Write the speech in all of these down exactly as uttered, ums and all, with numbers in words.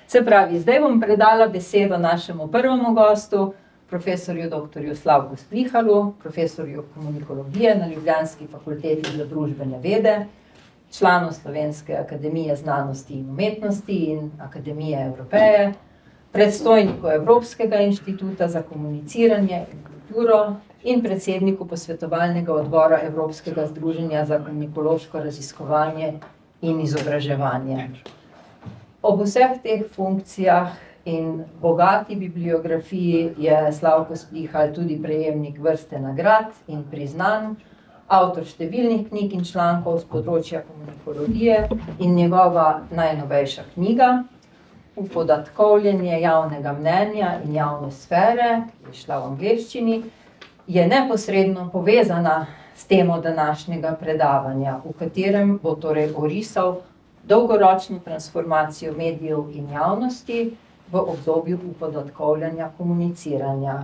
Se pravi, zdaj bom predala besedo našemu prvemu gostu, profesorju doktorju Slavku Splihalu, profesorju komunikologije na ljubljanski fakulteti za družbene vede, članu Slovenske akademije znanosti in umetnosti in Akademije Evropeje, predstojniku Evropskega inštituta za komuniciranje in kulturo in predsedniku posvetovalnega odbora Evropskega združenja za komunikološko raziskovanje in izobraževanje. Ob vseh teh funkcijah in bogati bibliografiji je Slavko Splihal tudi prejemnik vrste nagrad in priznanj, avtor številnih knjig in člankov z področja komunikologije in njegova najnovejša knjiga Upodatkovljenje javnega mnenja in javne sfere, ki je šla v angleščini, je neposredno povezana s temo današnjega predavanja, v katerem bo torej orisal dolgoročno transformacijo medijev in javnosti v obdobju upodatkovljanja komuniciranja.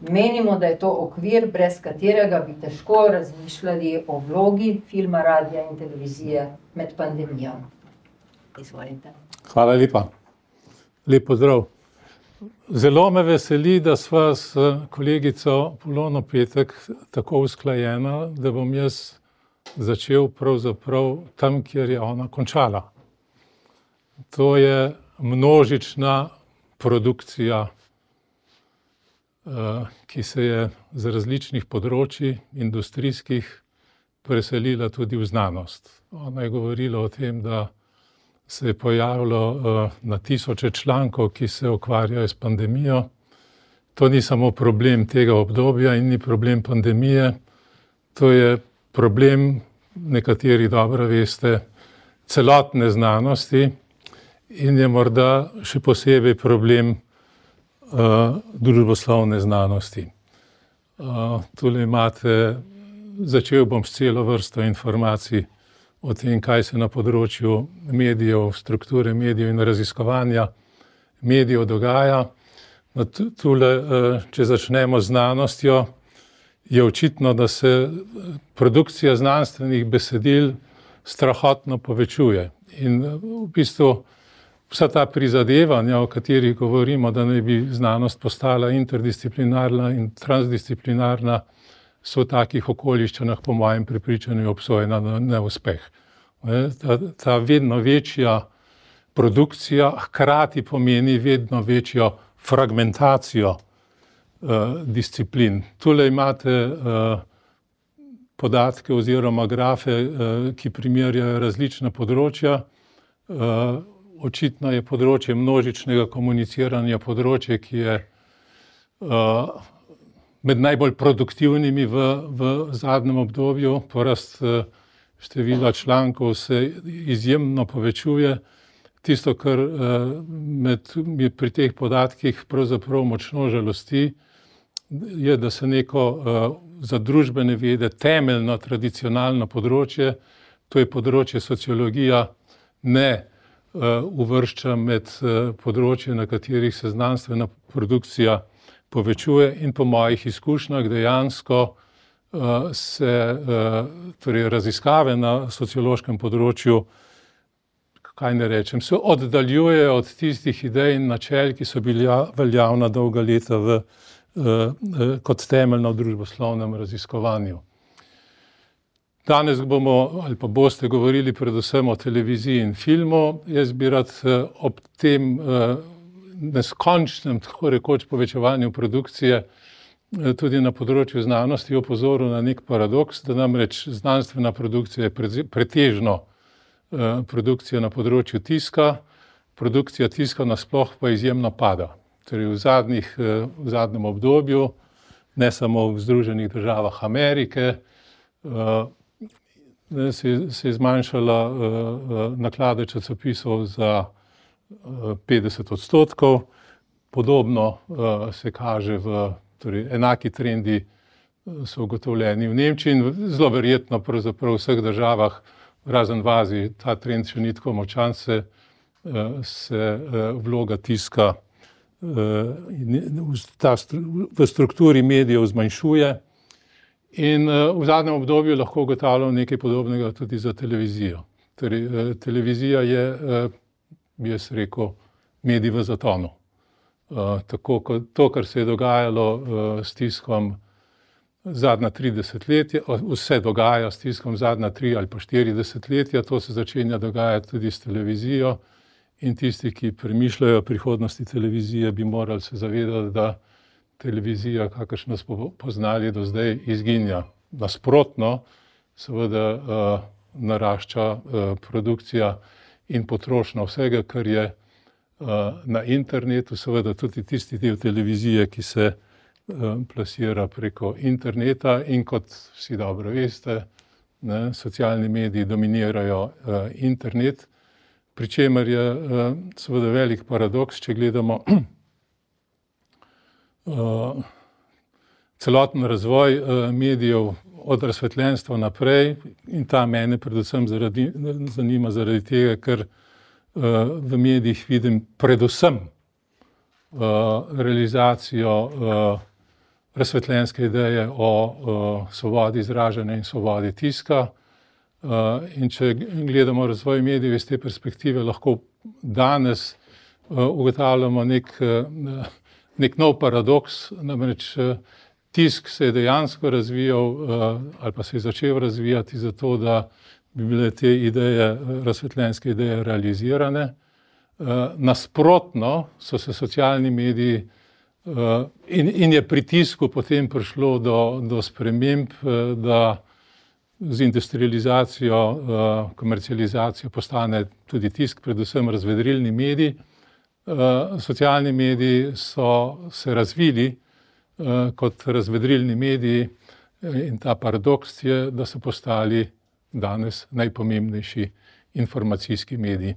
Menimo, da je to okvir, brez katerega bi težko razmišljali o vlogi filma, radia in televizije med pandemijo. Izvolite. Hvala lepa. Lep pozdrav. Zelo me veseli, da sva s kolegico Polono Petek tako usklajena, da bom jaz začel pravzaprav tam, kjer je ona končala. To je množična produkcija, ki se je z različnih področij industrijskih preselila tudi v znanost. Ona je govorila o tem, da se je pojavilo na tisoče člankov, ki se ukvarjajo s pandemijo. To ni samo problem tega obdobja in ni problem pandemije, to je problem, nekateri dobro veste, celotne znanosti in je morda še posebej problem uh, družboslovne znanosti. Uh, tule imate, začel bom s celo vrsto informacij o tem, kaj se na področju medijev, strukture medijev in raziskovanja medijev dogaja. No, tule, če začnemo z znanostjo, je očitno, da se produkcija znanstvenih besedil strahotno povečuje. In v bistvu vsa ta prizadevanja, o katerih govorimo, da naj bi znanost postala interdisciplinarna in transdisciplinarna, so v takih okoliščinah, po mojem prepričanju, obsojena na neuspeh. Ta, ta vedno večja produkcija hkrati pomeni vedno večjo fragmentacijo uh, disciplin. Tule imate uh, podatke oziroma grafe, uh, ki primerjajo različna področja. Uh, očitno je področje množičnega komuniciranja področje, ki je uh, med najbolj produktivnimi v, v zadnjem obdobju. Porast števila člankov se izjemno povečuje. Tisto, kar med, pri teh podatkih pravzaprav močno žalosti, je, da se neko za družbene vede temeljno, tradicionalno področje, to je področje sociologija, ne uvršča med področje, na katerih se znanstvena produkcija povečuje in po mojih izkušnjah dejansko uh, se uh, torej raziskave na sociološkem področju, kaj ne rečem, se oddaljujejo od tistih idej in načel, ki so bili veljavna dolga leta v, uh, kot temeljno v družboslovnem raziskovanju. Danes bomo ali pa boste govorili predvsem o televiziji in filmu. Jaz bi rad uh, ob tem uh, neskončnem, tako rekoč, povečevanju produkcije tudi na področju znanosti opozoril na nek paradoks, da namreč znanstvena produkcija je pretežno produkcija na področju tiska, produkcija tiska nasploh pa izjemno pada. Torej v, zadnjih, v zadnjem obdobju, ne samo v Združenih državah Amerike, se, se je zmanjšala naklade časopisov za petdeset odstotkov, podobno uh, se kaže v, torej enaki trendi so ugotovljeni v Nemčiji in zelo verjetno pravzaprav v vseh državah, razen v Aziji, ta trend še ni tako močan, se, uh, se uh, vloga tiska uh, ta stru, v strukturi medijev zmanjšuje in uh, v zadnjem obdobju lahko ugotavljamo nekaj podobnega tudi za televizijo. Torej, uh, televizija je uh, bi jaz rekel, medij v zatonu. Tako kot to, kar se je dogajalo s tiskom zadnja tri desetletja, vse dogaja s tiskom zadnja tri ali pa štiri desetletja, to se začenja dogajati tudi s televizijo in tisti, ki premišljajo o prihodnosti televizije, bi morali se zavedati, da televizija, kakršno smo poznali do zdaj, izginja. Nasprotno, seveda narašča produkcija in potrošnja vsega, kar je na internetu, seveda tudi tisti del televizije, ki se plasira preko interneta in kot vsi dobro veste, ne, socialni mediji dominirajo internet, pri čemer je seveda velik paradoks, če gledamo celoten razvoj medijev od razsvetljenstva naprej, in ta mene predvsem zaradi, zanima zaradi tega, ker v medijih vidim predvsem realizacijo razsvetljenske ideje o svobodi izražanja in svobodi tiska. In če gledamo razvoj medijev iz te perspektive, lahko danes ugotavljamo nek, nek nov paradoks, namreč tisk se je dejansko razvijal ali pa se je začel razvijati zato, da bi bile te ideje, razsvetljenske ideje realizirane. Nasprotno so se socialni mediji in, in je pri tisku potem prišlo do, do sprememb, da z industrializacijo, komercializacijo postane tudi tisk, predvsem razvedrilni medij. Socialni mediji so se razvili kot razvedrilni mediji in ta paradoks je, da so postali danes najpomembnejši informacijski mediji.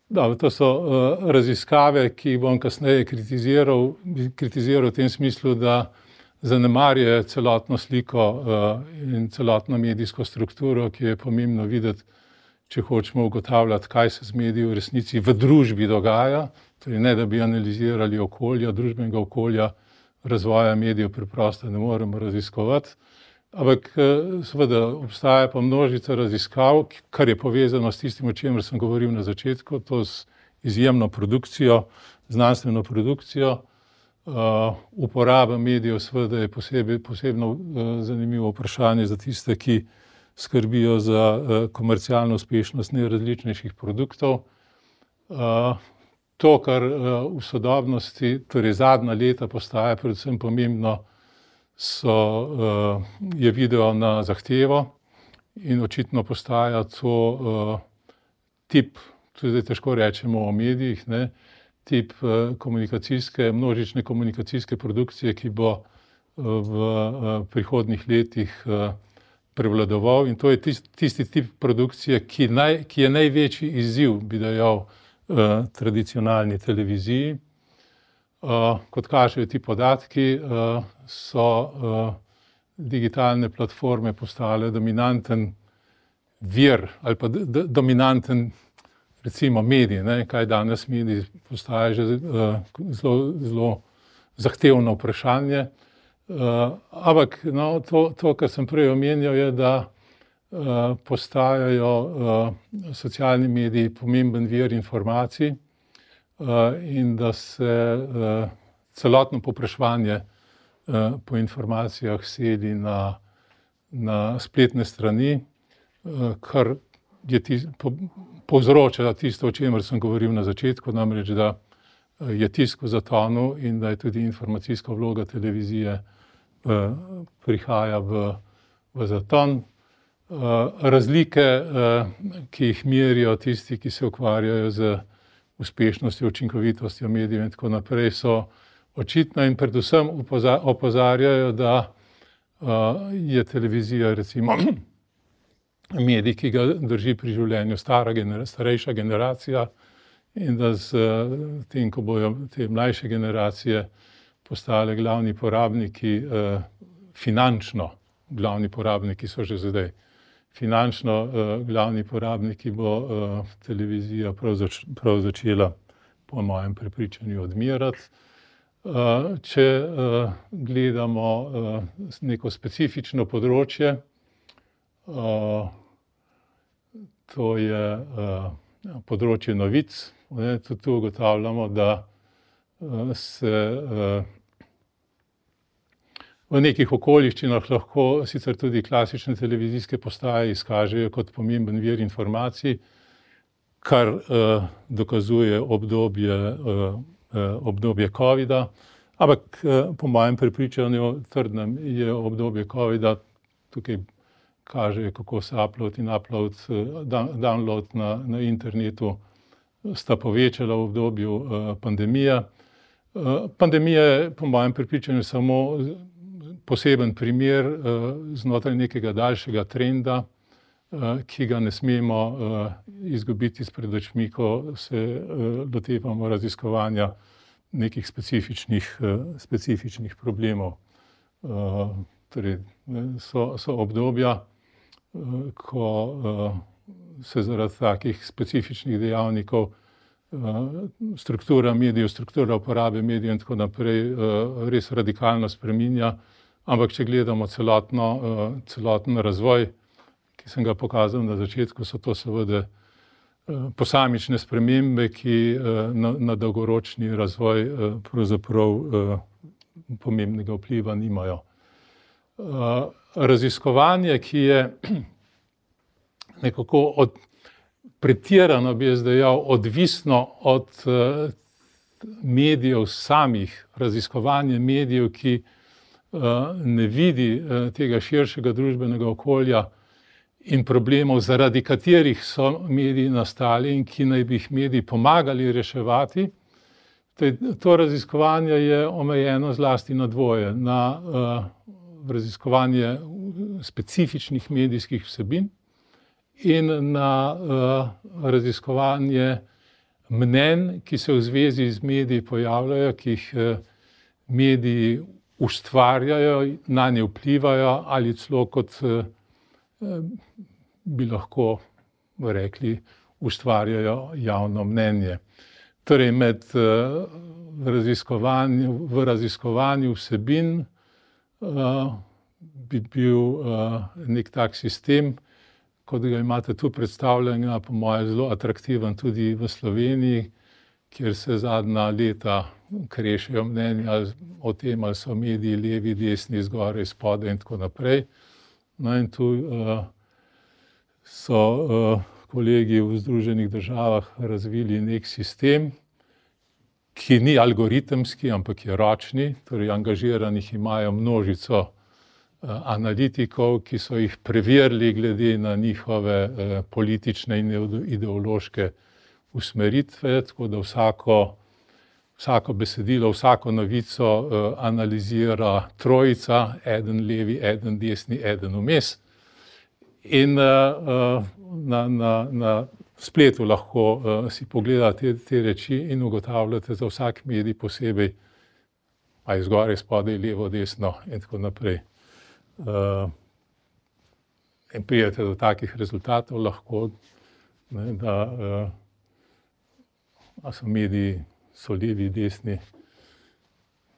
Da, to so raziskave, ki jih bom kasneje kritiziral, kritiziral v tem smislu, da zanemarjajo celotno sliko in celotno medijsko strukturo, ki je pomembno videti, če hočemo ugotavljati, kaj se z mediji v resnici v družbi dogaja, torej ne, da bi analizirali okolja, družbenega okolja, razvoja medijev preprosto ne moremo raziskovati, ampak seveda obstaja pa množica raziskav, kar je povezano s tistim, o čemer sem govoril na začetku, to z izjemno produkcijo, znanstveno produkcijo. Uporaba medijev seveda je posebej, posebno zanimivo vprašanje za tiste, ki skrbijo za komercialno uspešnost najrazličnejših produktov. To, kar v sodobnosti, torej zadnja leta postaja predvsem pomembno, so, je video na zahtevo in očitno postaja to tip, tudi težko rečemo o medijih, ne, tip komunikacijske, množične komunikacijske produkcije, ki bo v prihodnjih letih prevladoval, in to je tisti, tisti tip produkcije, ki, naj, ki je največji izziv, bi dejal, tradicionalni televiziji. Kot kažejo ti podatki, so digitalne platforme postale dominanten vir ali pa dominanten, recimo, medij, ne, kaj danes mediji postaja že zelo, zelo zahtevno vprašanje. Ampak no, to, to, kar sem prej omenjal, je, da postajajo socialni mediji pomemben vir informacij in da se celotno povpraševanje po informacijah seli na, na spletne strani, kar je tis, po, povzroča tisto, o čemer sem govoril na začetku, namreč, da je tisk v zatonu in da je tudi informacijska vloga televizije prihaja v, v zaton. Razlike, ki jih merijo tisti, ki se ukvarjajo z uspešnostjo, učinkovitostjo medijev in tako naprej, so očitne in predvsem opozarjajo, da je televizija recimo medij, ki ga drži pri življenju stara genera, starejša generacija, in da z tem, ko bojo te mlajše generacije postale glavni porabniki, finančno glavni porabniki so že zdaj, finančno glavni porabniki bo televizija prav, zač, prav začela, po mojem prepričanju, odmirati. Če gledamo neko specifično področje, to je področje novic. Tudi tu ugotavljamo, da se v nekih okoliščinah lahko sicer tudi klasične televizijske postaje izkažejo kot pomemben vir informacij, kar dokazuje obdobje, obdobje covida, ampak po mojem prepričanju trdnem je obdobje covida, tukaj kaže, kako se upload in upload, download na, na internetu sta povečala v obdobju pandemije. Pandemija je po mojem prepričanju samo poseben primer znotraj nekega daljšega trenda, ki ga ne smemo izgubiti izpred očmi, ko se lotevamo raziskovanja nekih specifičnih, specifičnih problemov. Torej, so, so obdobja, ko se zaradi takih specifičnih dejavnikov struktura medijev, struktura uporabe medijev in tako naprej res radikalno spreminja. Ampak če gledamo celotno, celoten razvoj, ki sem ga pokazal na začetku, so to seveda posamične spremembe, ki na, na dolgoročni razvoj pravzaprav pomembnega vpliva nimajo. Raziskovanje, ki je nekako od, pretirano, bi jaz dejal, odvisno od medijev samih, raziskovanje medijev, ki ne vidi tega širšega družbenega okolja in problemov, zaradi katerih so mediji nastali in ki naj bi jih mediji pomagali reševati. To raziskovanje je omejeno zlasti na dvoje, na raziskovanje specifičnih medijskih vsebin in na raziskovanje mnenj, ki se v zvezi z mediji pojavljajo, ki jih mediji ustvarjajo, nanje vplivajo ali celo kot bi lahko rekli, ustvarjajo javno mnenje. Torej med raziskovanju, v raziskovanju vsebin bi bil nek tak sistem, kot ga imate tu predstavljenega, po moje zelo atraktiven tudi v Sloveniji, kjer se zadnja leta krešejo mnenja o tem, ali so mediji levi, desni, zgoraj, spodaj in tako naprej. No in tu uh, so uh, kolegi v Združenih državah razvili nek sistem, ki ni algoritemski, ampak je ročni, torej angažiranih imajo množico uh, analitikov, ki so jih preverili glede na njihove uh, politične in ideološke usmeritve, tako da vsako, vsako besedilo, vsako novico uh, analizira trojica, eden levi, eden desni, eden vmes. In uh, na, na, na spletu lahko uh, si pogledate te, te reči in ugotavljate za vsak medij posebej, a je zgoraj, spodaj, levo, desno in tako naprej. Uh, in prijete do takih rezultatov lahko, ne, da uh, a so mediji, so levi, desni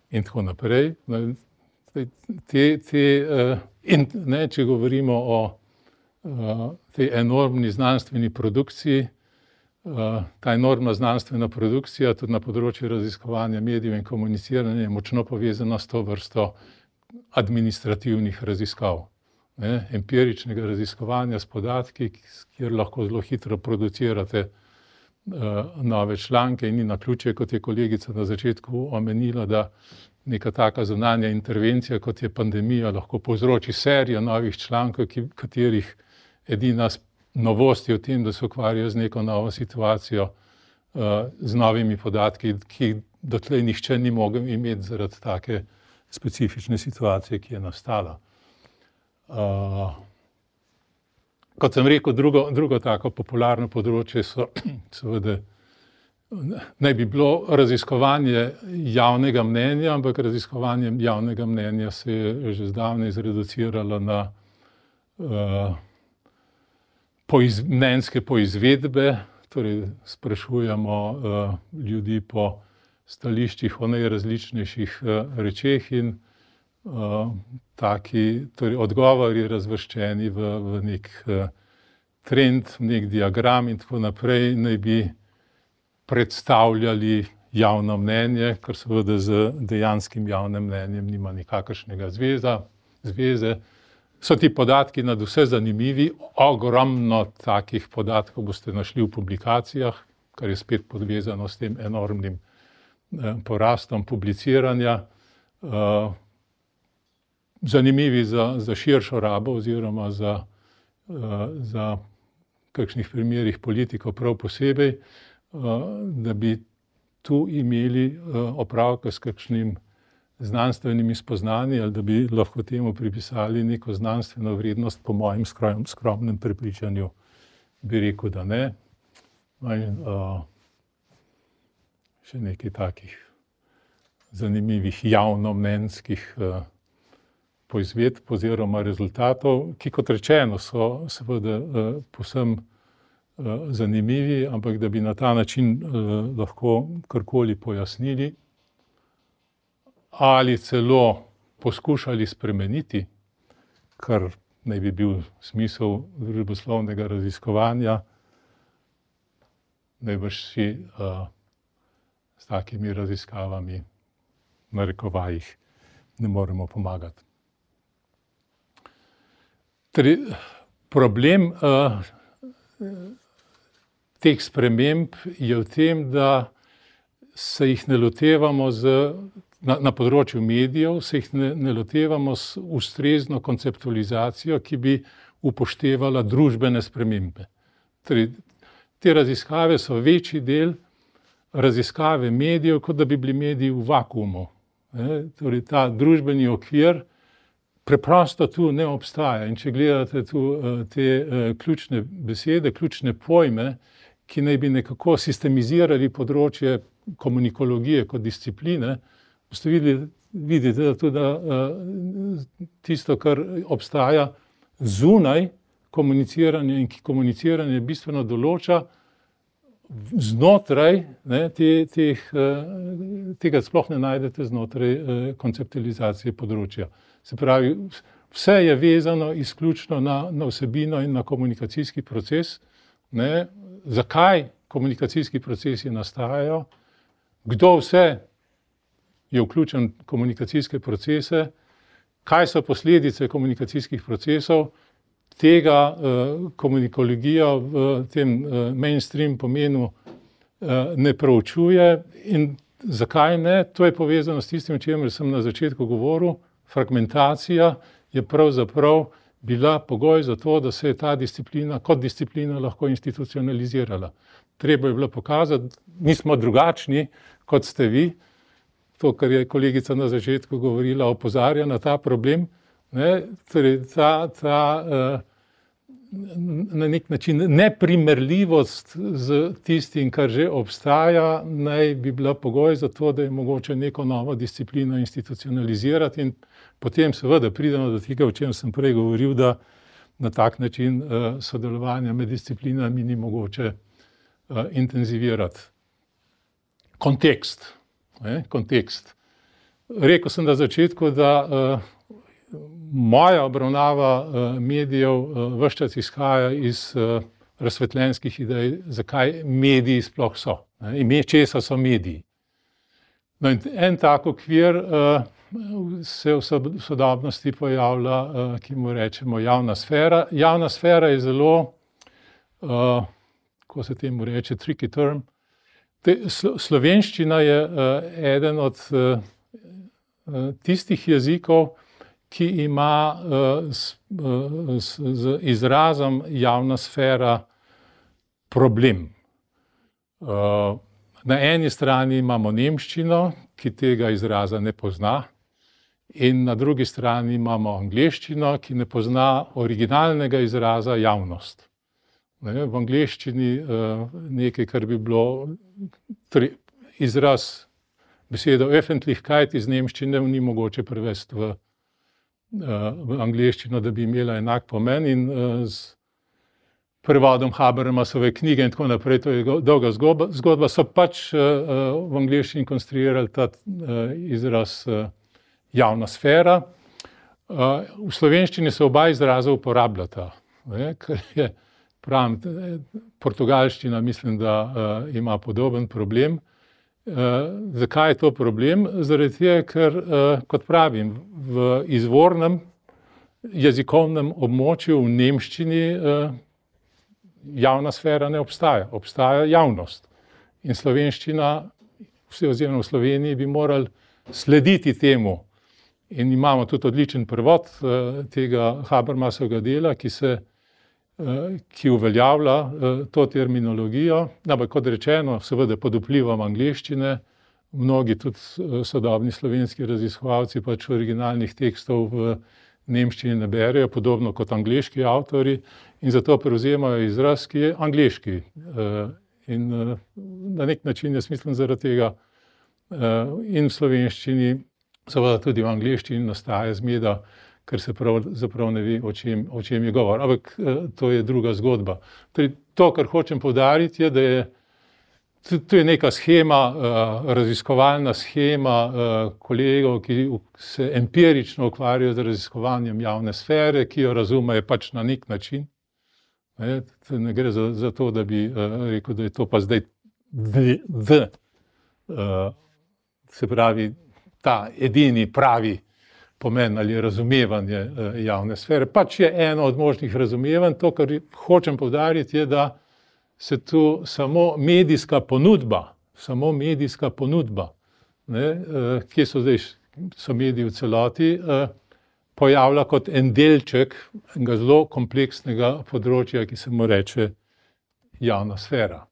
in tako naprej. Te, te, in ne, če govorimo o tej enormni znanstveni produkciji, ta enormna znanstvena produkcija tudi na področju raziskovanja medijev in komuniciranja je močno povezana s to vrsto administrativnih raziskav. Ne, empiričnega raziskovanja s podatki, kjer lahko zelo hitro producirate nove članke in ni naključje, kot je kolegica na začetku omenila, da neka taka zunanja intervencija, kot je pandemija, lahko povzroči serijo novih člankov, ki, katerih edina novost je v tem, da se ukvarjajo z neko novo situacijo, z novimi podatki, ki dotlej nihče ni mogel imeti zaradi take specifične situacije, ki je nastala. Kot sem rekel, drugo, drugo tako popularno področje so seveda, naj bi bilo raziskovanje javnega mnenja, ampak raziskovanje javnega mnenja se je že zdavnaj zreduciralo na uh, poiz, mnenjske poizvedbe, torej sprašujemo uh, ljudi po stališčih o najrazličnejših uh, rečeh in uh, taki, torej odgovori razvrščeni v, v nek uh, trend, nek diagram in tako naprej naj bi predstavljali javno mnenje, kar seveda z dejanskim javnim mnenjem nima nikakršnega zveza, zveze. So ti podatki nadvse zanimivi, ogromno takih podatkov boste našli v publikacijah, kar je spet podvezano s tem enormnim eh, porastom publiciranja. Eh, zanimivi za, za širšo rabo oziroma za, eh, za kakšnih primerih politikov prav posebej, eh, da bi tu imeli eh, opravka s kakšnim znanstvenimi spoznanji ali da bi lahko temu pripisali neko znanstveno vrednost, po mojem skromnem prepričanju bi rekel, da ne. In, uh, še nekaj takih zanimivih javnomnenjskih uh, poizvedb oziroma rezultatov, ki kot rečeno so seveda uh, povsem uh, zanimivi, ampak da bi na ta način uh, lahko karkoli pojasnili ali celo poskušali spremeniti, kar naj bi bil smisel družboslovnega raziskovanja, najbrž si uh, s takimi raziskavami v narekovajih ne moremo pomagati. Torej, problem uh, teh sprememb je v tem, da se jih ne lotevamo z Na, na področju medijev se jih ne, ne lotevamo s ustrezno konceptualizacijo, ki bi upoštevala družbene spremembe. Torej, te raziskave so večji del raziskave medijev, kot da bi bili mediji v vakuumu. E, torej, ta družbeni okvir preprosto tu ne obstaja. In če gledate tu te uh, ključne besede, ključne pojme, ki naj bi nekako sistemizirali področje komunikologije kot discipline, boste videli, vidite, da tudi uh, tisto, kar obstaja zunaj komuniciranja in ki komuniciranje bistveno določa, znotraj, ne, te, teh, uh, tega sploh ne najdete znotraj uh, konceptualizacije področja. Se pravi, vse je vezano izključno na, na vsebino in na komunikacijski proces. Ne, zakaj komunikacijski procesi nastajajo, kdo vse je vključen v komunikacijske procese, kaj so posledice komunikacijskih procesov, tega uh, komunikologija v tem uh, mainstream pomenu uh, ne proučuje in zakaj ne, to je povezano s tistim, o čemer sem na začetku govoril, fragmentacija je pravzaprav bila pogoj za to, da se je ta disciplina kot disciplina lahko institucionalizirala. Treba je bilo pokazati, mi smo drugačni, kot ste vi, to, kar je kolegica na začetku govorila, opozarja na ta problem, ne, torej ta, ta uh, na nek način neprimerljivost z tistim, kar že obstaja, naj bi bila pogoj za to, da je mogoče neko novo disciplino institucionalizirati in potem seveda pridemo do tega, o čem sem prej govoril, da na tak način uh, sodelovanja med disciplinami ni mogoče uh, intenzivirati. Kontekst. Ne, kontekst. Rekel sem na začetku, da uh, moja obravnava uh, medijev uh, ves čas izhaja iz uh, razsvetljenskih idej, zakaj mediji sploh so. Ne, ime česa so mediji. No, in en tak okvir uh, se v sodobnosti pojavlja, uh, ki mu rečemo javna sfera. Javna sfera je zelo, uh, ko se temu reče, tricky term. Te, slovenščina je uh, eden od uh, tistih jezikov, ki ima uh, s, uh, s, z izrazom javna sfera problem. Uh, na eni strani imamo nemščino, ki tega izraza ne pozna, in na drugi strani imamo angleščino, ki ne pozna originalnega izraza javnost. Ne, v angleščini uh, nekaj, kar bi bilo tri, izraz besedo Öffentlichkeit iz nemščine, ni mogoče prevesti v, uh, v angleščino, da bi imela enak pomen in uh, z prevodom Habermasove knjige in tako naprej, to je dolga zgodba, zgodba so pač uh, v angleščini konstruirali ta uh, izraz uh, javna sfera. Uh, v slovenščini se oba izraza uporabljata, ne, ker je pravim, portugalščina mislim, da uh, ima podoben problem. Uh, zakaj je to problem? Zaradi tega, ker, uh, kot pravim, v izvornem jezikovnem območju v nemščini uh, javna sfera ne obstaja, obstaja javnost. In slovenščina, vse oziroma v Sloveniji, bi morali slediti temu. In imamo tudi odličen prevod uh, tega Habermasovega dela, ki se ki uveljavlja to terminologijo, ampak kot rečeno, seveda pod vplivom angleščine, mnogi tudi sodobni slovenski raziskovalci pač originalnih tekstov v nemščini ne berejo, podobno kot angleški avtori, in zato prevzemajo izraz, ki je angleški. In na nek način jaz mislim zaradi tega in v slovenščini, seveda tudi v angleščini nastaja zmeda, ker se pravzaprav ne ve, o čem, o čem je govor. Ampak to je druga zgodba. Torej, to, kar hočem poudariti, je, da je to je neka shema, raziskovalna shema kolegov, ki se empirično ukvarjajo z raziskovanjem javne sfere, ki jo razumejo pač na nek način. Ne, ne gre za, za to, da bi rekel, da je to pa zdaj v, v, se pravi, ta edini pravi pomen ali razumevanje javne sfere. Pač je eno od možnih razumevanj. To, kar hočem poudariti, je, da se tu samo medijska ponudba, samo medijska ponudba, ne, kje so zdaj, so mediji v celoti, pojavlja kot en delček enega zelo kompleksnega področja, ki se mu reče javna sfera.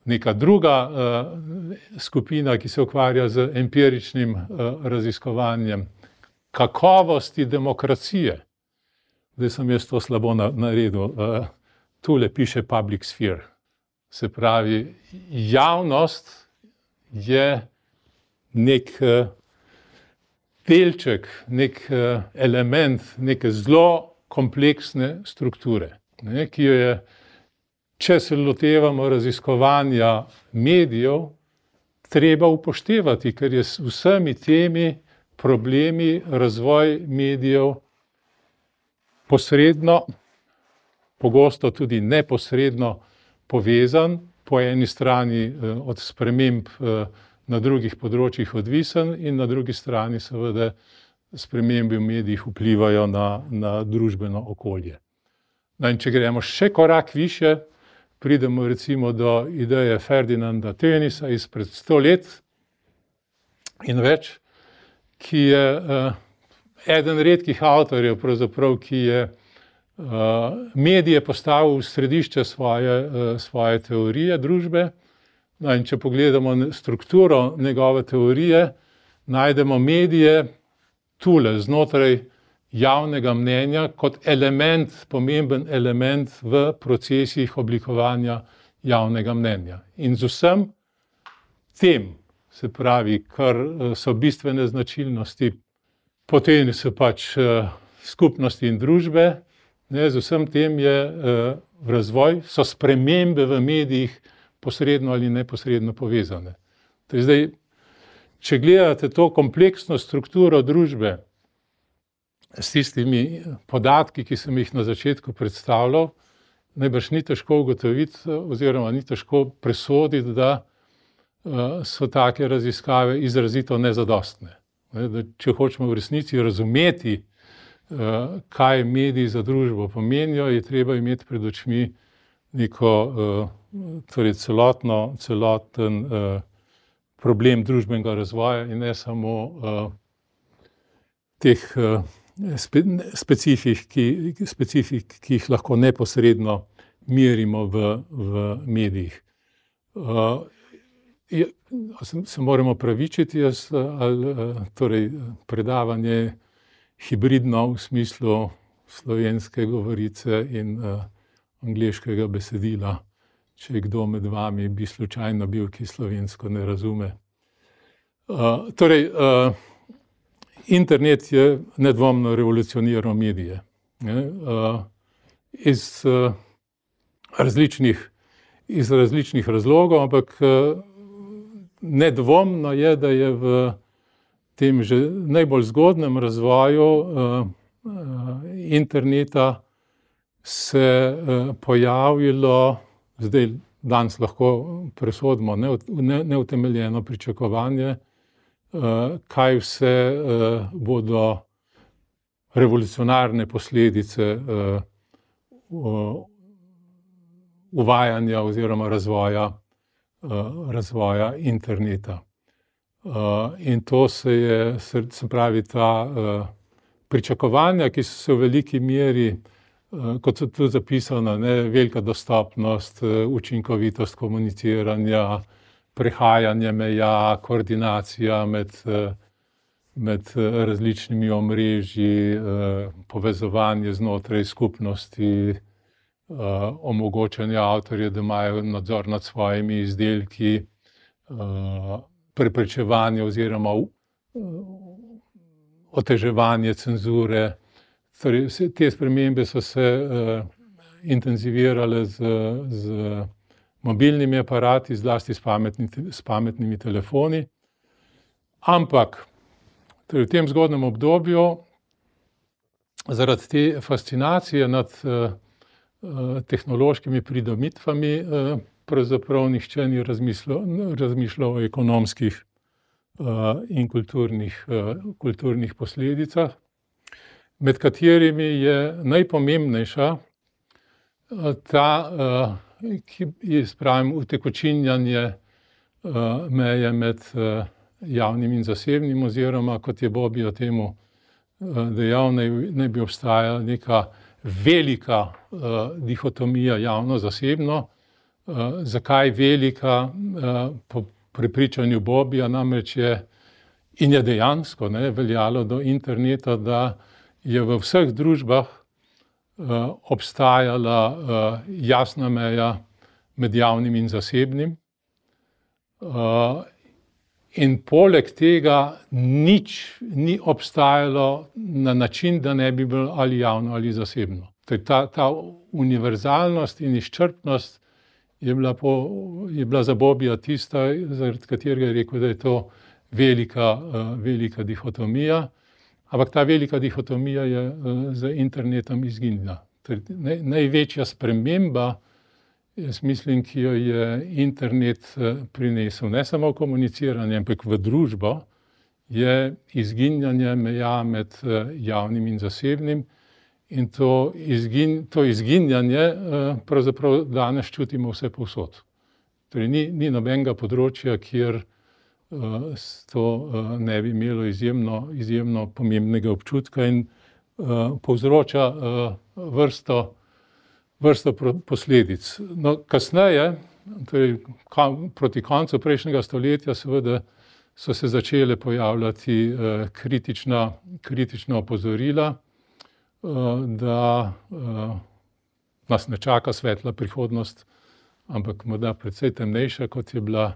Neka druga skupina, ki se ukvarja z empiričnim raziskovanjem kakovosti demokracije. Zdaj sem jaz to slabo naredil. Tule piše public sphere. Se pravi, javnost je nek delček, nek element neke zelo kompleksne strukture, ne, ki jo je, če se lotevamo raziskovanja medijev, treba upoštevati, ker je s vsemi temi problemi razvoj medijev posredno, pogosto tudi neposredno povezan, po eni strani od sprememb na drugih področjih odvisen in na drugi strani seveda spremembe v medijih vplivajo na, na družbeno okolje. No, in če gremo še korak višje, pridemo recimo do ideje Ferdinanda Tönniesa izpred sto let in več, ki je uh, eden redkih avtorjev, pravzaprav, ki je uh, medije postavil v središče svoje, uh, svoje teorije družbe. No, in če pogledamo strukturo njegove teorije, najdemo medije tule znotraj javnega mnenja kot element, pomemben element v procesih oblikovanja javnega mnenja. In z vsem tem, se pravi, kar so bistvene značilnosti, potem so pač skupnosti in družbe, ne, z vsem tem je v razvoj, so spremembe v medijih posredno ali neposredno povezane. Torej zdaj, če gledate to kompleksno strukturo družbe s tistimi podatki, ki sem jih na začetku predstavljal, najbrž ni težko ugotoviti oziroma ni težko presoditi, da so take raziskave izrazito nezadostne. Da če hočemo v resnici razumeti, kaj mediji za družbo pomenijo, je treba imeti pred očmi neko torej celotno, celoten problem družbenega razvoja in ne samo teh specifik, ki, specifik, ki jih lahko neposredno merimo v, v medijih. Se moramo pravičiti, jaz, ali, torej predavanje hibridno v smislu slovenske govorice in uh, angleškega besedila, če je kdo med vami bi slučajno bil, ki slovensko ne razume. Uh, torej, uh, internet je nedvomno revolucioniral medije. Ne? Uh, iz, uh, različnih, iz različnih razlogov, ampak uh, nedvomno je, da je v tem že najbolj zgodnem razvoju uh, uh, interneta se pojavilo, zdaj danes lahko presodimo neutemeljeno pričakovanje, kaj vse bodo revolucionarne posledice uvajanja oziroma razvoja, razvoja interneta. In to se je, se pravi, ta pričakovanja, ki so se v veliki meri, kot so tu zapisana, ne, velika dostopnost, učinkovitost komuniciranja, prehajanje meja, koordinacija med, med različnimi omrežji, povezovanje znotraj skupnosti, omogočanje avtorjev, da imajo nadzor nad svojimi izdelki, preprečevanje oziroma oteževanje cenzure. Torej, te spremembe so se intenzivirale z, z mobilnimi aparati, zlasti s, pametni, s pametnimi telefoni. Ampak torej v tem zgodnjem obdobju zaradi te fascinacije nad tehnološkimi pridobitvami pravzaprav nihče ni razmišljal, razmišljal o ekonomskih in kulturnih, kulturnih posledicah, med katerimi je najpomembnejša ta, ki je, spravim, utekočinjanje meje med javnim in zasebnim, oziroma, kot je Bobby temu dejal, naj, naj bi obstajala neka velika dihotomija javno-zasebno. Zakaj velika? Po prepričanju Bobbyja namreč je, in je dejansko, ne, veljalo do interneta, da je v vseh družbah obstajala jasna meja med javnim in zasebnim. In poleg tega nič ni obstajalo na način, da ne bi bilo ali javno ali zasebno. Ta, ta univerzalnost in izčrpnost je bila, po, je bila za Bobbyja tista, zaradi katerega je rekel, da je to velika, velika dihotomija. Ampak ta velika dihotomija je z internetom izginila. Največja sprememba, jaz mislim, ki jo je internet prinesel, ne samo v komuniciranje, ampak v družbo, je izginjanje meja med javnim in zasebnim. In to, izgin, to izginjanje pravzaprav danes čutimo vse povsod. Torej, ni, ni nobenega področja, kjer to ne bi imelo izjemno, izjemno pomembnega občutka in povzroča vrsto, vrsto posledic. No, kasneje, torej proti koncu prejšnjega stoletja, seveda so se začele pojavljati kritična, kritična opozorila, da nas ne čaka svetla prihodnost, ampak morda precej temnejša, kot je bila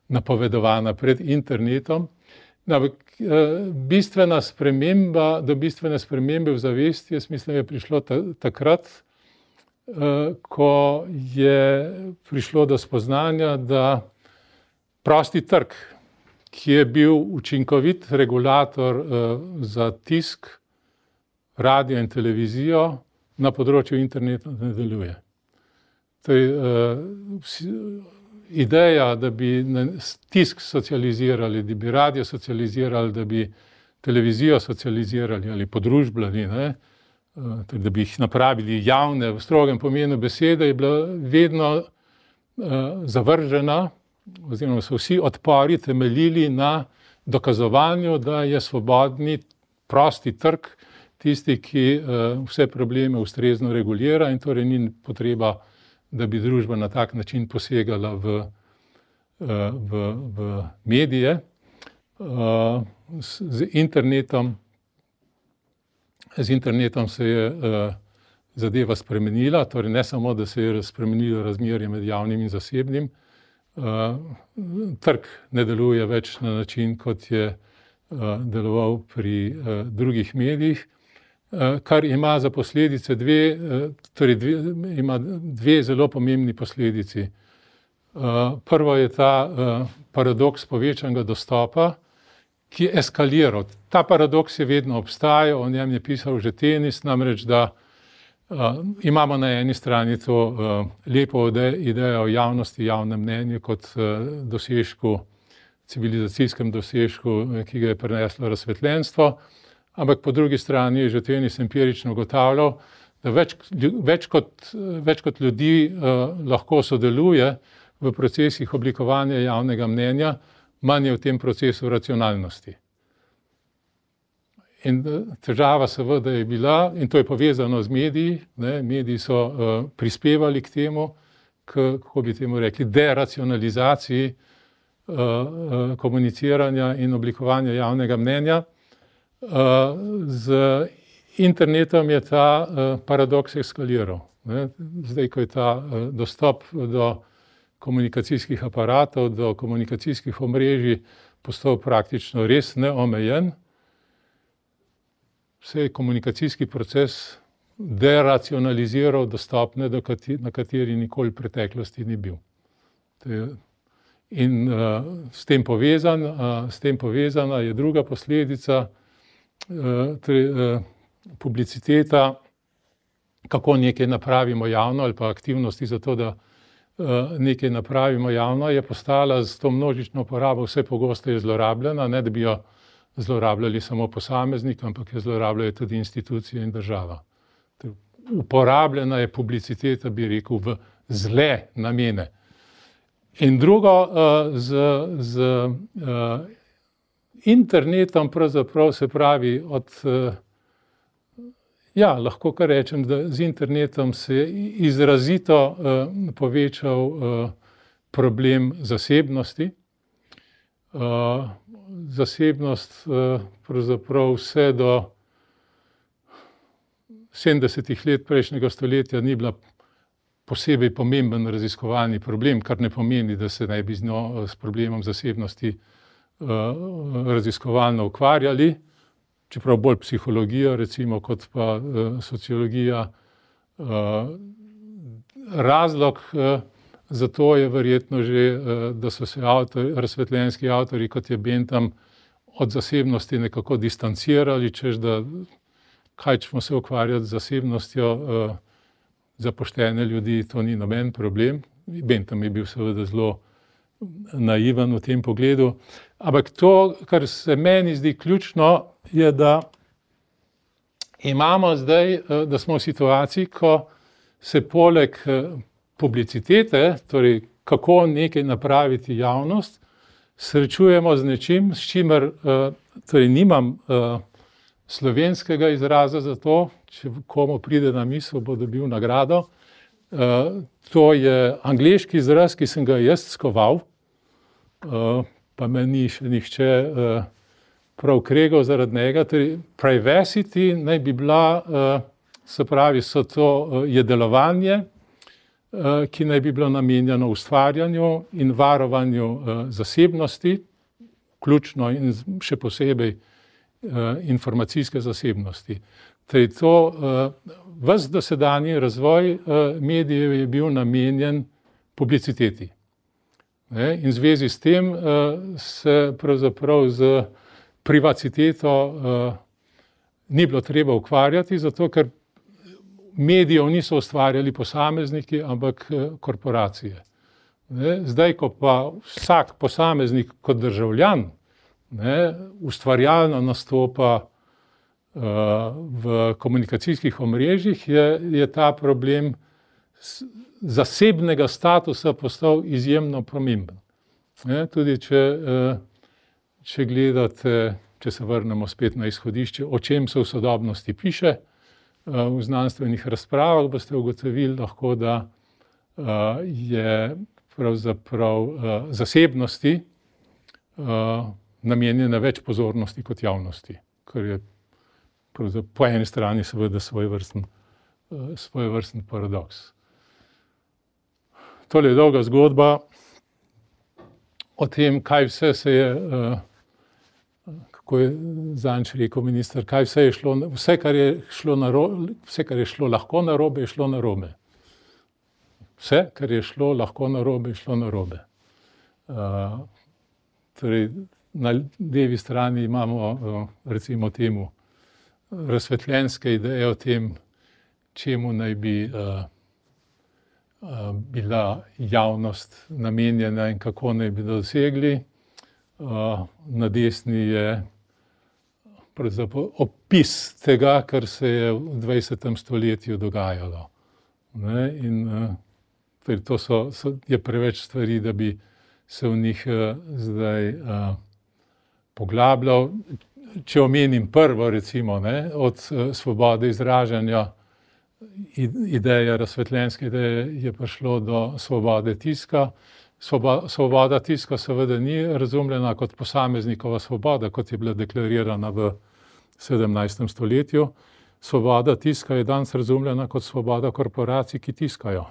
napovedovana pred internetom. Ampak bistvena sprememba, do bistvene spremembe v zavesti, jaz mislim, je prišlo takrat, ko je prišlo do spoznanja, da prosti trg, ki je bil učinkovit regulator za tisk, radio in televizijo, na področju interneta ne deluje. Torej, ideja, da bi tisk socializirali, da bi radio socializirali, da bi televizijo socializirali ali podružbljali, ne, torej, da bi jih napravili javne v strogem pomenu besede, je bila vedno zavržena, oziroma so vsi odpori temeljili na dokazovanju, da je svobodni, prosti trg tisti, ki vse probleme ustrezno regulira in torej ni potreba, da bi družba na tak način posegala v, v, v medije. Z internetom, z internetom se je zadeva spremenila, torej ne samo, da se je spremenilo razmerje med javnim in zasebnim, trg ne deluje več na način, kot je deloval pri drugih medijih, kar ima za posledice dve, torej dve, ima dve zelo pomembni posledici. Prvo je ta paradoks povečanega dostopa, ki je eskaliral. Ta paradoks je vedno obstajal, o njem je pisal že Tenis, namreč, da imamo na eni strani to lepo idejo o javnosti, javnem mnenju kot dosežku, civilizacijskem dosežku, ki ga je prineslo razsvetljenstvo, ampak po drugi strani je že Tenis empirično ugotavljal, da več, več, kot, več kot ljudi lahko sodeluje v procesih oblikovanja javnega mnenja, manj je v tem procesu racionalnosti. In težava seveda je bila, in to je povezano z mediji, ne, mediji so uh, prispevali k temu, k, kako bi temu rekli, deracionalizaciji uh, uh, komuniciranja in oblikovanja javnega mnenja. Uh, z internetom je ta uh, paradoks eskaliral. Ne. Zdaj, ko je ta uh, dostop do komunikacijskih aparatov, do komunikacijskih omrežij postal praktično res neomejen, se je komunikacijski proces deracionaliziral do stopnje, na kateri nikoli v preteklosti ni bil. In uh, s tem povezan, uh, s tem povezana je druga posledica, uh, torej, uh, publiciteta, kako nekaj napravimo javno ali pa aktivnosti za to, da uh, nekaj napravimo javno, je postala s to množično uporabo vse pogosteje zlorabljena, ne da bi jo zlorabljali samo posameznik, ampak je zlorabljajo tudi institucije in država. Uporabljena je publiciteta, bi rekel, v zle namene. In drugo, z, z internetom pravzaprav se pravi od, ja, lahko kar rečem, da z internetom se je izrazito povečal problem zasebnosti. Zasebnost pravzaprav vse do sedemdesetih let prejšnjega stoletja ni bila posebej pomemben raziskovalni problem, kar ne pomeni, da se ne bi z njo, s problemom zasebnosti raziskovalno ukvarjali, čeprav bolj psihologijo recimo kot pa sociologija. Razlog zato je verjetno že, da so se avtori, razsvetljenski avtori, kot je Bentham, od zasebnosti nekako distancirali, češ da kaj ćemo se ukvarjati z zasebnostjo, za poštene ljudi to ni noben problem. Bentham je bil seveda zelo naiven v tem pogledu. Ampak to, kar se meni zdi ključno, je, da imamo zdaj, da smo v situaciji, ko se poleg publicitete, torej kako nekaj napraviti javnost, srečujemo z nečim, s čimer, torej nimam slovenskega izraza za to, če komu pride na misel, bo dobil nagrado. To je angleški izraz, ki sem ga jaz skoval, pa me ni še nihče prav kregal zaradi njega. Torej, privacity naj bi bila, se pravi, so to je delovanje, ki naj bi bilo namenjeno ustvarjanju in varovanju zasebnosti, ključno in še posebej informacijske zasebnosti. Torej, to, ves dosedanji razvoj medijev je bil namenjen publiciteti. In v zvezi s tem se pravzaprav z privaciteto ni bilo treba ukvarjati, zato ker medijev niso ustvarjali posamezniki, ampak korporacije. Zdaj, ko pa vsak posameznik kot državljan ne, ustvarjalno nastopa v komunikacijskih omrežjih, je, je ta problem zasebnega statusa postal izjemno pomemben. Ne, tudi če, če gledate, če se vrnemo spet na izhodišče, o čem se v sodobnosti piše, v znanstvenih razpravah boste ugotovili lahko, da je pravzaprav zasebnosti namenjena več pozornosti kot javnosti, kar je po eni strani seveda svojevrsten, svojevrsten paradoks. Tole je dolga zgodba o tem, kaj vse se je, kako je zadnjič rekel minister, kaj vse je šlo, vse, kar je šlo narobe, vse, kar je šlo lahko narobe, je šlo narobe. Vse, kar je šlo lahko narobe, je šlo narobe. Uh, torej, na levi strani imamo, uh, recimo temu, razsvetljenske ideje o tem, čemu naj bi uh, uh, bila javnost namenjena in kako naj bi dosegli. Uh, na desni je pravzaprav opis tega, kar se je v dvajsetem stoletju dogajalo. Ne? In uh, torej to so, so, je preveč stvari, da bi se v njih uh, zdaj uh, poglabljal. Če omenim prvo, recimo, ne, od uh, svobode izražanja, ideja, razsvetljenske ideje, je prišlo do svobode tiska. Svoba, svoboda tiska seveda ni razumljena kot posameznikova svoboda, kot je bila deklarirana v sedemnajstem stoletju. Svoboda tiska je danes razumljena kot svoboda korporacij, ki tiskajo,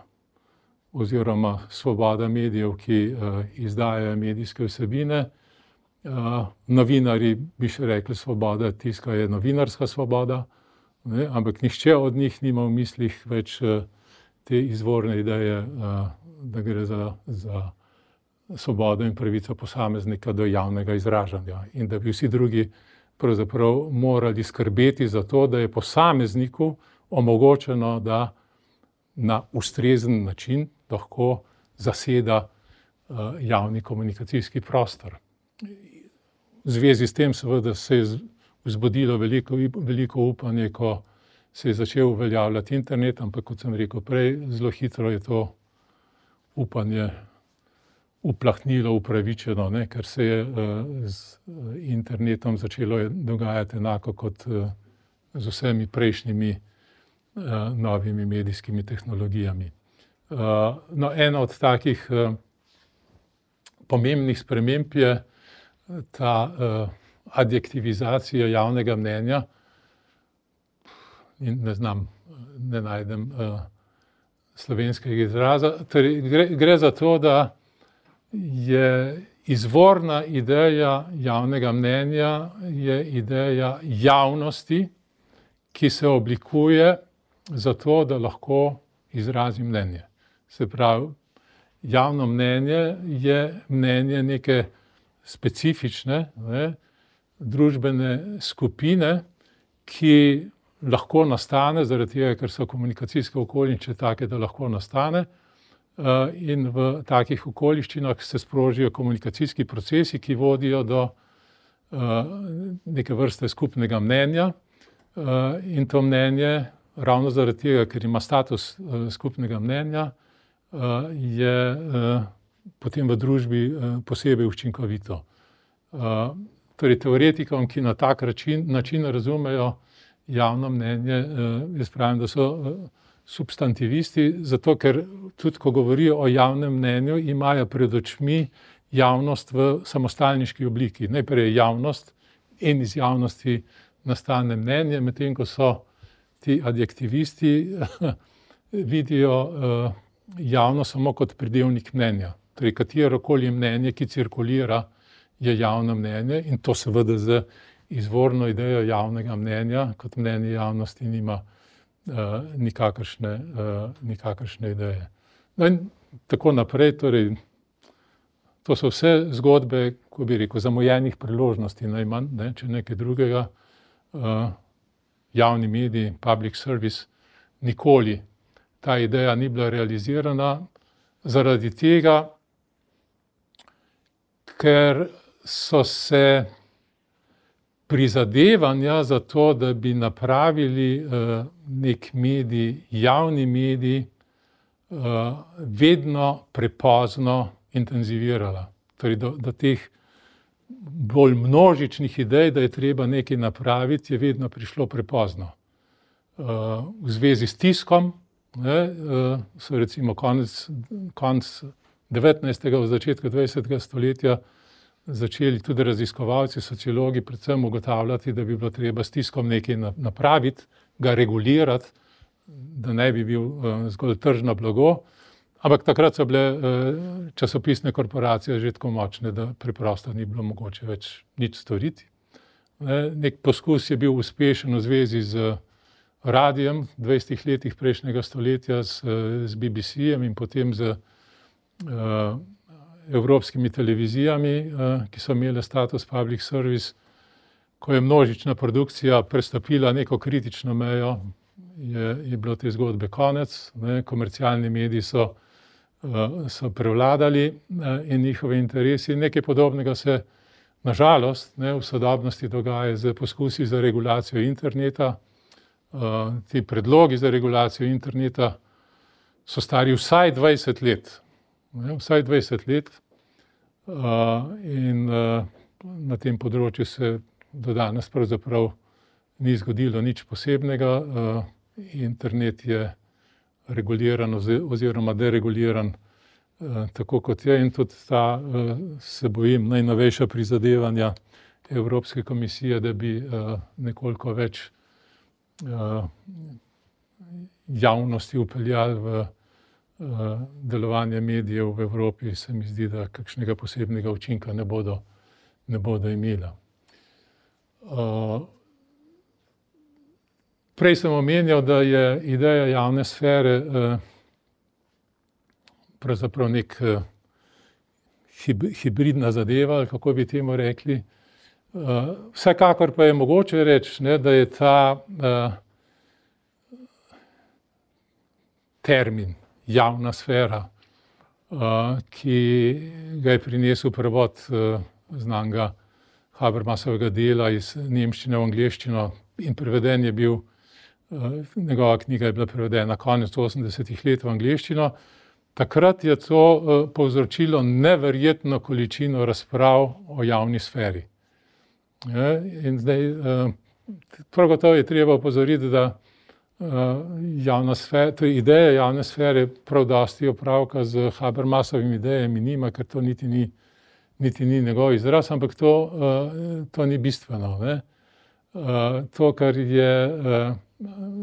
oziroma svoboda medijev, ki uh, izdajajo medijske vsebine. Uh, novinarji bi še rekli, svoboda tiska je novinarska svoboda, ne? Ampak nihče od njih nima v mislih več uh, te izvorne ideje, uh, da gre za, za svobodo in pravico posameznika do javnega izražanja in da bi vsi drugi pravzaprav morali skrbeti za to, da je posamezniku omogočeno, da na ustrezen način lahko zaseda uh, javni komunikacijski prostor. V zvezi s tem seveda se je vzbudilo veliko, veliko upanje, ko se je začel uveljavljati internet, ampak kot sem rekel prej, zelo hitro je to upanje uplahnilo, upravičeno, ne, ker se je uh, z internetom začelo dogajati enako kot uh, z vsemi prejšnjimi uh, novimi medijskimi tehnologijami. Uh, no, ena od takih uh, pomembnih sprememb je ta uh, adjektivizacija javnega mnenja. In ne znam, ne najdem uh, slovenskega izraza. Torej, gre, gre za to, da je izvorna ideja javnega mnenja je ideja javnosti, ki se oblikuje zato, da lahko izrazi mnenje. Se pravi, javno mnenje je mnenje neke specifične, ne, družbene skupine, ki lahko nastane, zaradi tega, ker so komunikacijske okoliščine take, da lahko nastane, in v takih okoliščinah se sprožijo komunikacijski procesi, ki vodijo do neke vrste skupnega mnenja, in to mnenje, ravno zaradi tega, ker ima status skupnega mnenja, je potem v družbi posebej učinkovito. Torej, teoretikom, ki na tak način, način razumejo javno mnenje, jaz pravim, da so substantivisti, zato ker tudi, ko govorijo o javnem mnenju, imajo pred očmi javnost v samostalniški obliki. Najprej je javnost in iz javnosti nastane mnenje, medtem ko so ti adjektivisti vidijo javno samo kot pridevnik mnenja. Torej, katerokoli mnenje, ki cirkulira, je javno mnenje in to seveda z izvorno idejo javnega mnenja, kot mnenje javnosti nima uh, nikakršne, uh, nikakršne ideje. No in tako naprej, torej, to so vse zgodbe, ko bi rekel, zamujenih priložnosti najmanj, ne, če nekaj drugega. Uh, javni mediji, public service, nikoli ta ideja ni bila realizirana zaradi tega, ker so se prizadevanja za to, da bi napravili uh, nek medij, javni medij, uh, vedno prepozno intenzivirala. Torej, do, do teh bolj množičnih idej, da je treba nekaj napraviti, je vedno prišlo prepozno. Uh, v zvezi s tiskom, ne, uh, so recimo konec, konec devetnajstega, v začetku dvajsetega stoletja začeli tudi raziskovalci, sociologi predvsem ugotavljati, da bi bilo treba s tiskom nekaj napraviti, ga regulirati, da ne bi bil uh, zgolj tržno blago. Ampak takrat so bile uh, časopisne korporacije že tako močne, da preprosto ni bilo mogoče več nič storiti. Ne, nek poskus je bil uspešen v zvezi z radijem v dvajsetih letih prejšnjega stoletja, z, z B B C-jem in potem z uh, evropskimi televizijami, ki so imele status public service, ko je množična produkcija prestopila neko kritično mejo, je, je bilo te zgodbe konec, ne, komercialni mediji so, so prevladali in njihove interesi. Nekaj podobnega se nažalost ne, v sodobnosti dogaja z poskusi za regulacijo interneta. Ti predlogi za regulacijo interneta so stari vsaj dvajset let. Ne, vsaj dvajset let. In na tem področju se do danes pravzaprav ni zgodilo nič posebnega. Internet je reguliran oziroma dereguliran tako kot je in tudi ta, se bojim, najnovejša prizadevanja Evropske komisije, da bi nekoliko več javnosti vpeljali v delovanje medijev v Evropi, se mi zdi, da kakšnega posebnega učinka ne bodo, ne bodo imela. Prej sem omenjal, da je ideja javne sfere pravzaprav nek hibridna zadeva, ali kako bi temu rekli. Vsekakor pa je mogoče reči, ne, da je ta termin javna sfera, ki ga je prinesel prevod znanega Habermasovega dela iz nemščine v angleščino in preveden je bil, njegova knjiga je bila prevedena konec osemdesetih let v angleščino. Takrat je to povzročilo neverjetno količino razprav o javni sferi. In zdaj, prav gotovo je treba opozoriti, da javna sfera, to je ideja javne sfere prav dosti opravka z Habermasovimi idejami nima, ker to niti ni, niti ni njegov izraz, ampak to, to ni bistveno. Ne? To, kar je,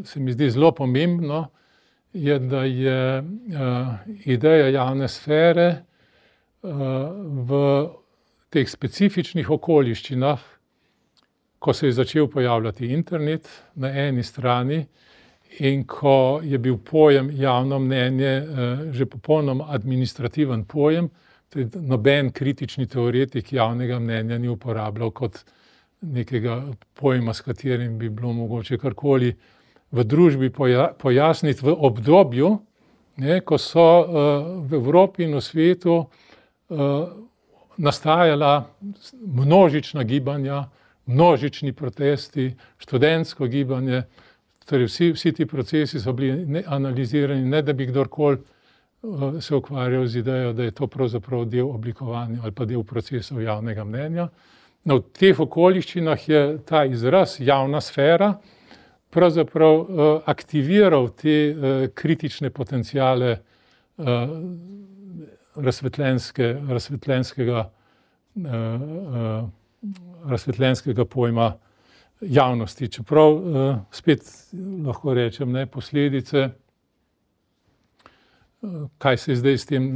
se mi zdi zelo pomembno, je, da je ideja javne sfere v teh specifičnih okoliščinah, ko se je začel pojavljati internet na eni strani in ko je bil pojem javno mnenje že popolnoma administrativen pojem, noben kritični teoretik javnega mnenja ni uporabljal kot nekega pojma, s katerim bi bilo mogoče karkoli v družbi pojasniti v obdobju, ne, ko so v Evropi in v svetu nastajala množična gibanja, množični protesti, študentsko gibanje, torej vsi, vsi ti procesi so bili analizirani, ne da bi kdorkoli se ukvarjal z idejo, da je to pravzaprav del oblikovanja ali pa del procesov javnega mnenja. No, v teh okoliščinah je ta izraz javna sfera pravzaprav aktiviral te kritične potenciale razsvetljenske, razsvetljenskega, razsvetljenskega pojma javnosti. Čeprav spet lahko rečem, ne, posledice, kaj se zdaj s tem,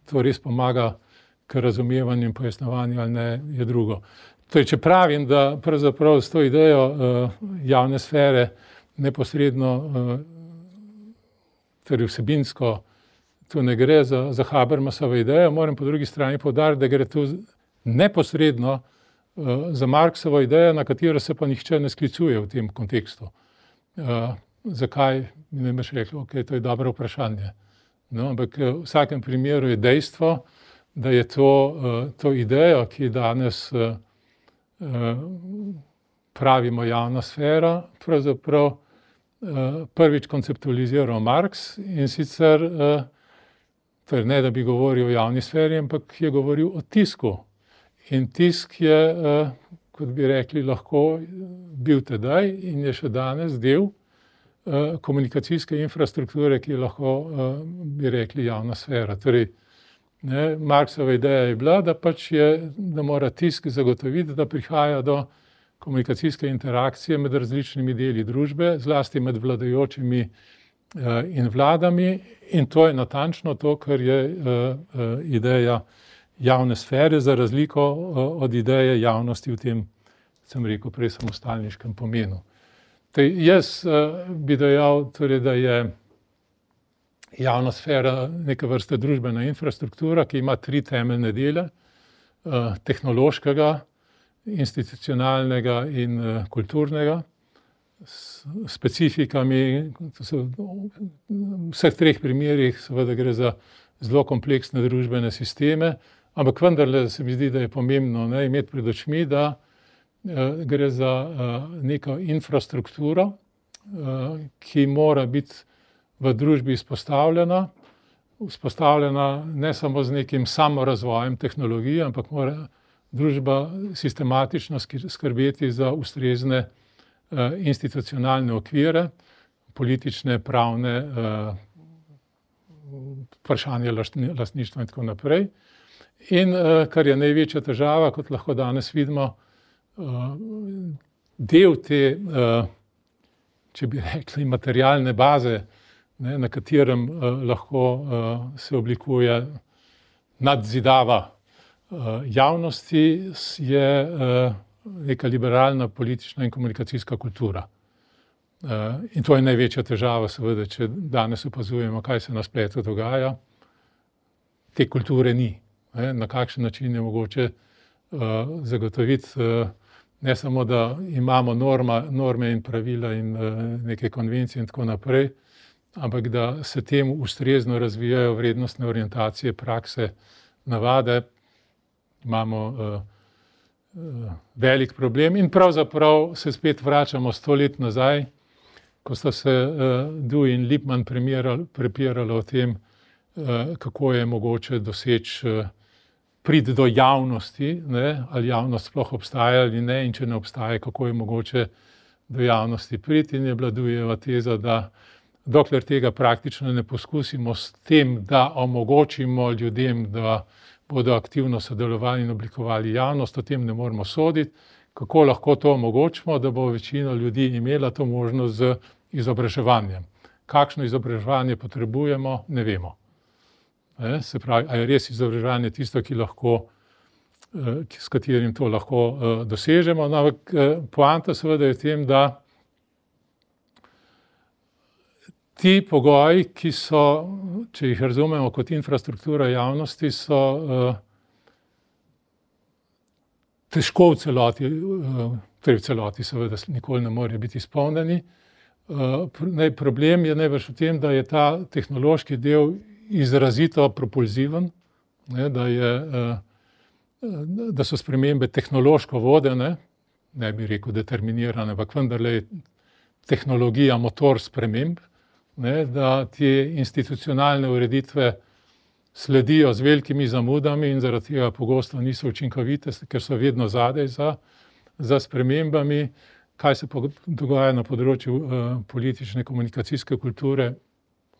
to res pomaga k razumevanju in pojasnjevanju ali ne, je drugo. Torej, če pravim, da pravzaprav s to idejo javne sfere neposredno, torej vsebinsko, tu ne gre za, za Habermasovo idejo, moram po drugi strani poudariti, da gre tu neposredno za Marxovo idejo, na katero se pa nihče ne sklicuje v tem kontekstu. Zakaj? Mi ne boš rekel, ok, to je dobro vprašanje. No, ampak v vsakem primeru je dejstvo, da je to, to idejo, ki danes pravimo javna sfera, pravzaprav prvič konceptualiziral Marx in sicer, torej ne da bi govoril o javni sferi, ampak je govoril o tisku. In tisk je, kot bi rekli, lahko bil tedaj in je še danes del komunikacijske infrastrukture, ki je lahko, bi rekli, javna sfera. Torej, ne, Marxova ideja je bila, da pač je, da mora tisk zagotoviti, da prihaja do komunikacijske interakcije med različnimi deli družbe, zlasti med vladajočimi in vladami, in to je natančno to, kar je ideja javne sfere, za razliko od ideje javnosti v tem, sem rekel, prej samostalniškem pomenu. Tej, jaz bi dejal, torej, da je javna sfera neka vrsta družbena infrastruktura, ki ima tri temeljne dele, tehnološkega, institucionalnega in kulturnega. s specifikami, v vseh treh primerih seveda gre za zelo kompleksne družbene sisteme, ampak vendarle se mi zdi, da je pomembno, ne, imeti pred očmi, da uh, gre za uh, neko infrastrukturo, uh, ki mora biti v družbi izpostavljena, vzpostavljena ne samo z nekim samorazvojem tehnologije, ampak mora družba sistematično skrbeti za ustrezne uh, institucionalne okvire, politične, pravne, uh, vprašanje lastništva in tako naprej. In uh, kar je največja težava, kot lahko danes vidimo, uh, del te, uh, če bi rekli, materialne baze, ne, na katerem uh, lahko uh, se oblikuje nadzidava uh, javnosti, je uh, neka liberalna politična in komunikacijska kultura. Uh, in to je največja težava, seveda, če danes opazujemo, kaj se na spletu dogaja. Te kulture ni. Ne? Na kakšen način je mogoče uh, zagotoviti, uh, ne samo, da imamo norma, norme in pravila in uh, neke konvencije in tako naprej, ampak da se temu ustrezno razvijajo vrednostne orientacije, prakse, navade. Imamo uh, uh, velik problem in pravzaprav se spet vračamo sto let nazaj, ko sta se uh, Dewey in Lippmann prepirali o tem, uh, kako je mogoče doseči uh, priti do javnosti, ne, ali javnost sploh obstaja ali ne, in če ne obstaja, kako je mogoče do javnosti priti. In je bila Deweyjeva teza, da dokler tega praktično ne poskusimo s tem, da omogočimo ljudem, da bodo aktivno sodelovali in oblikovali javnost, o tem ne moremo soditi. Kako lahko to omogočimo, da bo večina ljudi imela to možnost z izobraževanjem. Kakšno izobraževanje potrebujemo, ne vemo. E, se pravi, a je res izobraževanje tisto, ki lahko, s katerim to lahko dosežemo. No, ampak poanta seveda je v tem, da ti pogoji, ki so, če jih razumemo kot infrastruktura javnosti, so težko v celoti, torej v celoti seveda nikoli ne morejo biti izpolnjeni. Problem je najbrž v tem, da je ta tehnološki del izrazito propulziven, ne, da, je, da so spremembe tehnološko vodene, ne bi rekel determinirane, ampak vendarle je tehnologija motor sprememb, ne, da te institucionalne ureditve sledijo z velikimi zamudami in zaradi tega pogosto niso učinkovite, ker so vedno zadaj za, za spremembami. Kaj se dogaja na področju uh, politične komunikacijske kulture?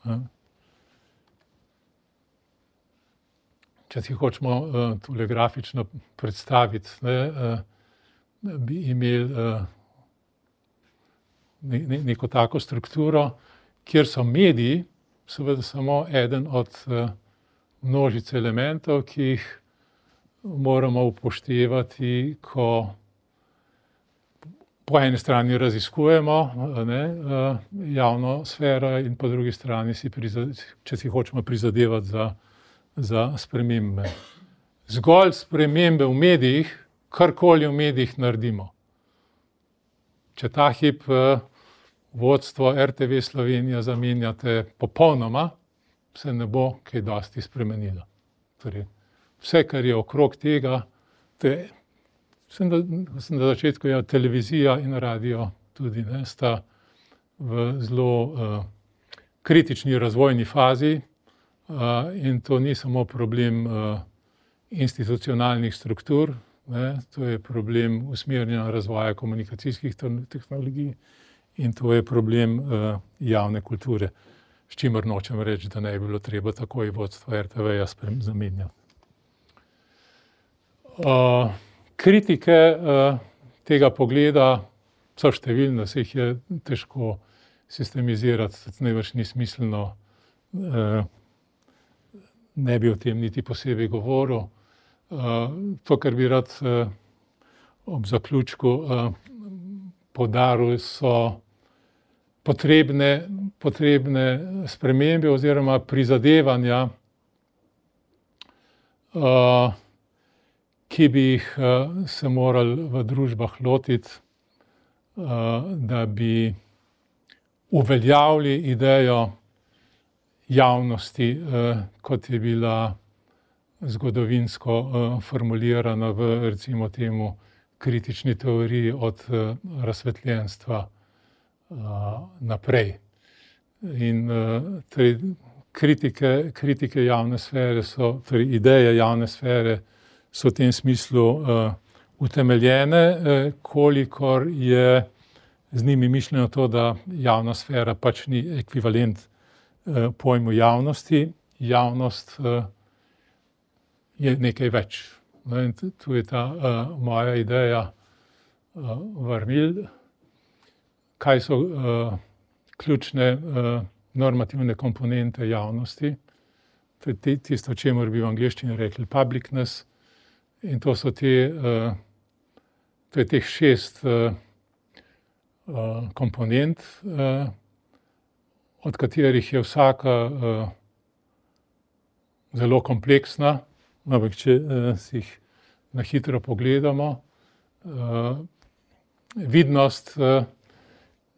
Uh. Če si hočemo uh, tole grafično predstaviti, ne, uh, bi imeli uh, ne, ne, neko tako strukturo, kjer so mediji seveda samo eden od uh, množice elementov, ki jih moramo upoštevati, ko po eni strani raziskujemo, ne, javno sfero in po drugi strani, si če si hočemo prizadevati za, za spremembe. Zgolj spremembe v medijih, karkoli v medijih naredimo. Če ta hip vodstvo R T V Slovenija zamenjate popolnoma, se ne bo kaj dosti spremenilo. Torej, vse, kar je okrog tega, te Sem da, sem na začetku je televizija in radio tudi, ne, sta v zelo uh, kritični razvojni fazi uh, in to ni samo problem uh, institucionalnih struktur, ne, to je problem usmerjanja razvoja komunikacijskih tehnologij in to je problem uh, javne kulture, s čimer nočem reči, da ne bi bilo treba takoj vodstvo R T V-ja zamenjati. Uh, Kritike uh, tega pogleda so številne, se jih je težko sistemizirati, najbrž ni smiselno, uh, ne bi o tem niti posebej govoril. Uh, to, kar bi rad uh, ob zaključku uh, poudaril, so potrebne, potrebne spremembe oziroma prizadevanja, uh, ki bi jih se morali v družbah lotiti da bi uveljavili idejo javnosti, kot je bila zgodovinsko formulirana v, recimo temu, kritični teoriji od razsvetljenstva naprej. In torej kritike, kritike javne sfere so, torej ideje javne sfere so v tem smislu utemeljene, kolikor je z njimi mišljeno to, da javna sfera pač ni ekvivalent pojmu javnosti. Javnost je nekaj več. In tu je ta moja ideja vrnil, kaj so ključne normativne komponente javnosti. To je tisto, čemur bi v angleščini rekli publicness. In to so te, to je teh šest komponent, od katerih je vsaka zelo kompleksna, ampak če si jih na hitro pogledamo, vidnost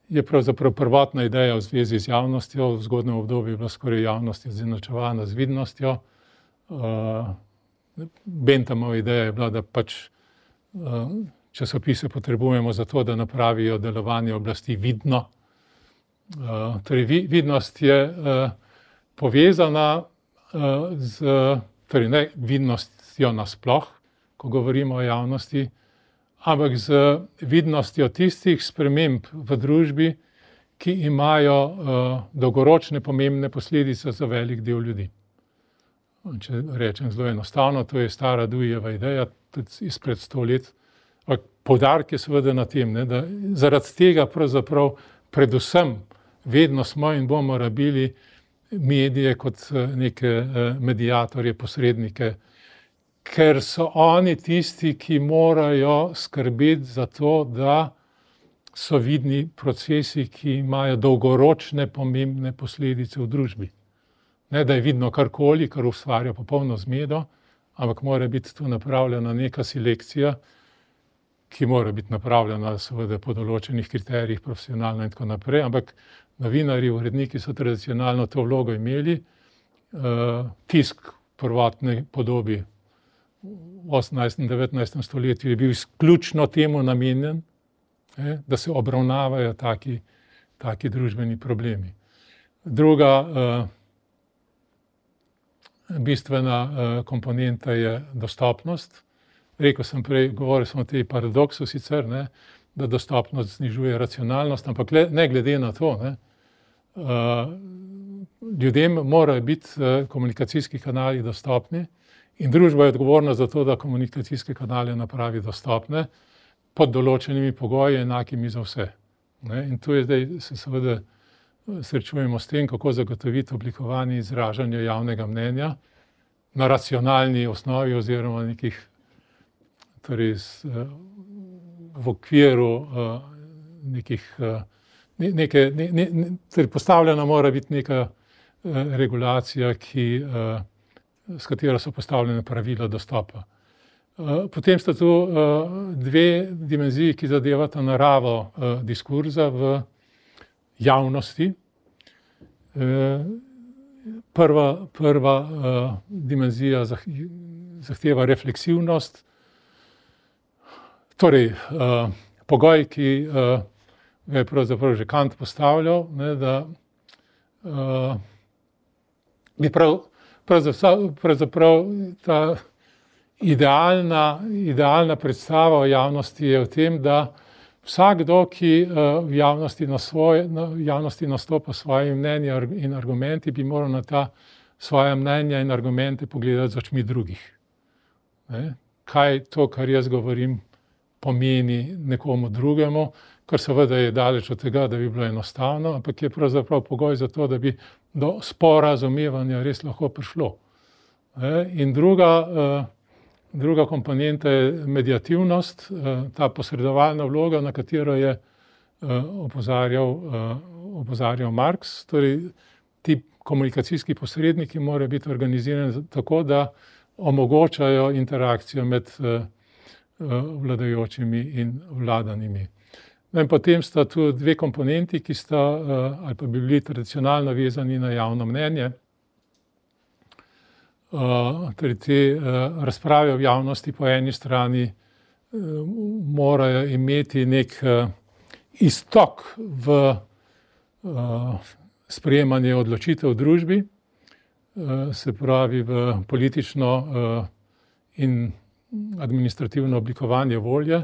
je pravzaprav prvotna ideja v zvezi z javnostjo. V zgodnjem obdobju je bila skoraj javnost izenačevana z vidnostjo. Benthamova ideja je bila, da pač časopise potrebujemo zato, da napravijo delovanje oblasti vidno. Torej, vidnost je povezana z, torej ne vidnostjo nasploh, ko govorimo o javnosti, ampak z vidnostjo tistih sprememb v družbi, ki imajo dolgoročne pomembne posledice za velik del ljudi. Če rečem zelo enostavno, to je stara Deweyjeva ideja, tudi izpred sto let. Poudarek je seveda na tem, ne, da zaradi tega pravzaprav predvsem vedno smo in bomo rabili medije kot neke mediatorje, posrednike, ker so oni tisti, ki morajo skrbeti za to, da so vidni procesi, ki imajo dolgoročne pomembne posledice v družbi. Ne, da je vidno karkoli, kar ustvarja popolno zmedo, ampak mora biti tu napravljena neka selekcija, ki mora biti napravljena seveda po določenih kriterijih, profesionalno in tako naprej, ampak novinarji, uredniki so tradicionalno to vlogo imeli. Tisk v prvotni podobi v osemnajstem, devetnajstem stoletju je bil izključno temu namenjen, da se obravnavajo taki, taki družbeni problemi. Druga bistvena komponenta je dostopnost. Rekel sem prej, govoril sem o tej paradoksu sicer, ne, da dostopnost znižuje racionalnost, ampak ne glede na to, ne, ljudem morajo biti komunikacijski kanali dostopni in družba je odgovorna za to, da komunikacijske kanale napravi dostopne pod določenimi pogoji, enakimi za vse. Ne, in tu je zdaj se seveda srečujemo s tem, kako zagotoviti oblikovanje izražanja javnega mnenja na racionalni osnovi oziroma nekih, torej v okviru nekih, neke, ne, ne, torej postavljena mora biti neka regulacija, ki, s katero so postavljene pravila dostopa. Potem sta tu dve dimenziji, ki zadevata naravo diskurza v javnosti. Prva, prva dimenzija zahteva refleksivnost, torej pogoj, ki ga je pravzaprav že Kant postavljal, ne, da bi prav, pravzaprav, pravzaprav ta idealna, idealna predstava o javnosti je v tem, da vsakdo, ki v javnosti, na svoje, v javnosti nastopa s svojimi mnenji in argumenti, bi moral na ta svoja mnenja in argumente pogledati z očmi drugih. Ne? Kaj to, kar jaz govorim, pomeni nekomu drugemu, kar seveda je daleč od tega, da bi bilo enostavno, ampak je pravzaprav pogoj za to, da bi do sporazumevanja res lahko prišlo. Ne? In druga, druga komponenta je mediativnost, ta posredovalna vloga, na katero je opozarjal, opozarjal Marx. Torej, ti komunikacijski posredniki morajo biti organizirani tako, da omogočajo interakcijo med vladajočimi in vladanimi. No in potem sta tu dve komponenti, ki sta ali pa bi bili tradicionalno vezani na javno mnenje. Torej te razprave v javnosti po eni strani morajo imeti nek iztok v sprejemanje odločitev v družbi, se pravi v politično in administrativno oblikovanje volje.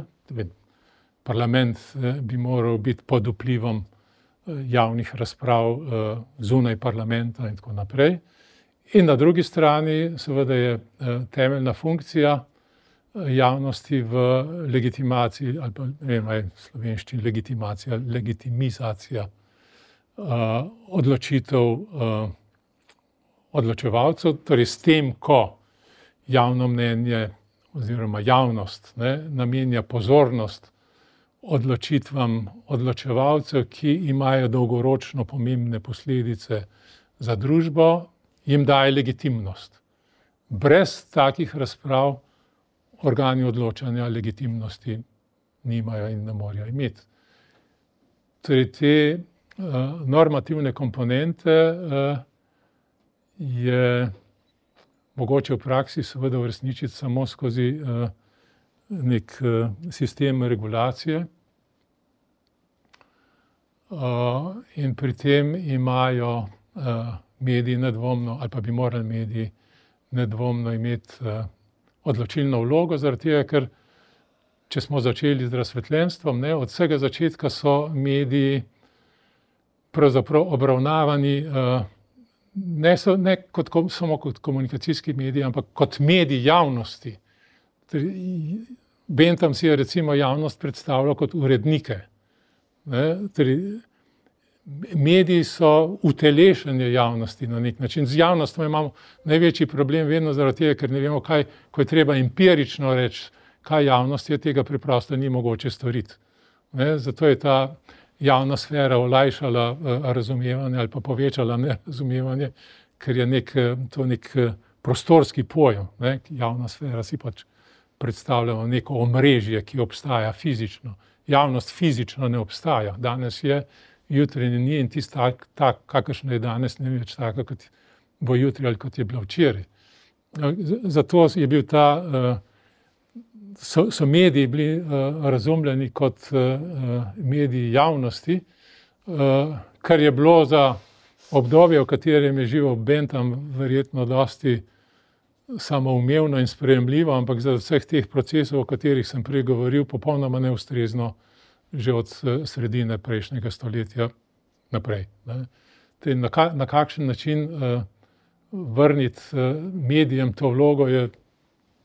Parlament bi moral biti pod vplivom javnih razprav zunaj parlamenta in tako naprej. In na drugi strani seveda je temeljna funkcija javnosti v legitimaciji, ali pa ne vem, v slovenščini legitimacija, legitimizacija odločitev odločevalcev, torej s tem, ko javno mnenje oziroma javnost ne, namenja pozornost odločitvam odločevalcev, ki imajo dolgoročno pomembne posledice za družbo, jim daje legitimnost. Brez takih razprav organi odločanja legitimnosti nimajo in ne morejo imeti. Torej te normativne komponente je mogoče v praksi seveda uresničiti samo skozi nek sistem regulacije. In pri tem imajo mediji nedvomno, ali pa bi morali mediji nedvomno imeti odločilno vlogo, zaradi tega, ker če smo začeli z razsvetljenstvom, ne, od vsega začetka so mediji pravzaprav obravnavani ne, so, ne kot, samo kot komunikacijski mediji, ampak kot mediji javnosti. Bentham si je recimo javnost predstavljal kot urednike. Ne, torej, mediji so utelešenje javnosti na nek način. Z javnostjo imamo največji problem vedno zaradi tega, ker ne vemo, kaj, ko je treba empirično reči, kaj javnost je, tega preprosto ni mogoče storiti. Ne, zato je ta javna sfera olajšala razumevanje ali pa povečala nerazumevanje, ker je nek, to nek prostorski pojem. Ne, javna sfera si pač predstavljamo neko omrežje, ki obstaja fizično. Javnost fizično ne obstaja. Danes je, jutri ni in tisto tak, tak, kakršno je danes, ne več tako, kot bo jutri ali kot je bilo včeraj. Zato je bil ta, so, so mediji bili razumljeni kot mediji javnosti, kar je bilo za obdobje, v katerem je živel Bentham, verjetno dosti samoumevno in sprejemljivo, ampak za vseh teh procesov, o katerih sem prej govoril, popolnoma neustrezno že od sredine prejšnjega stoletja naprej. Ne. Na, ka, na kakšen način uh, vrniti uh, medijem to vlogo je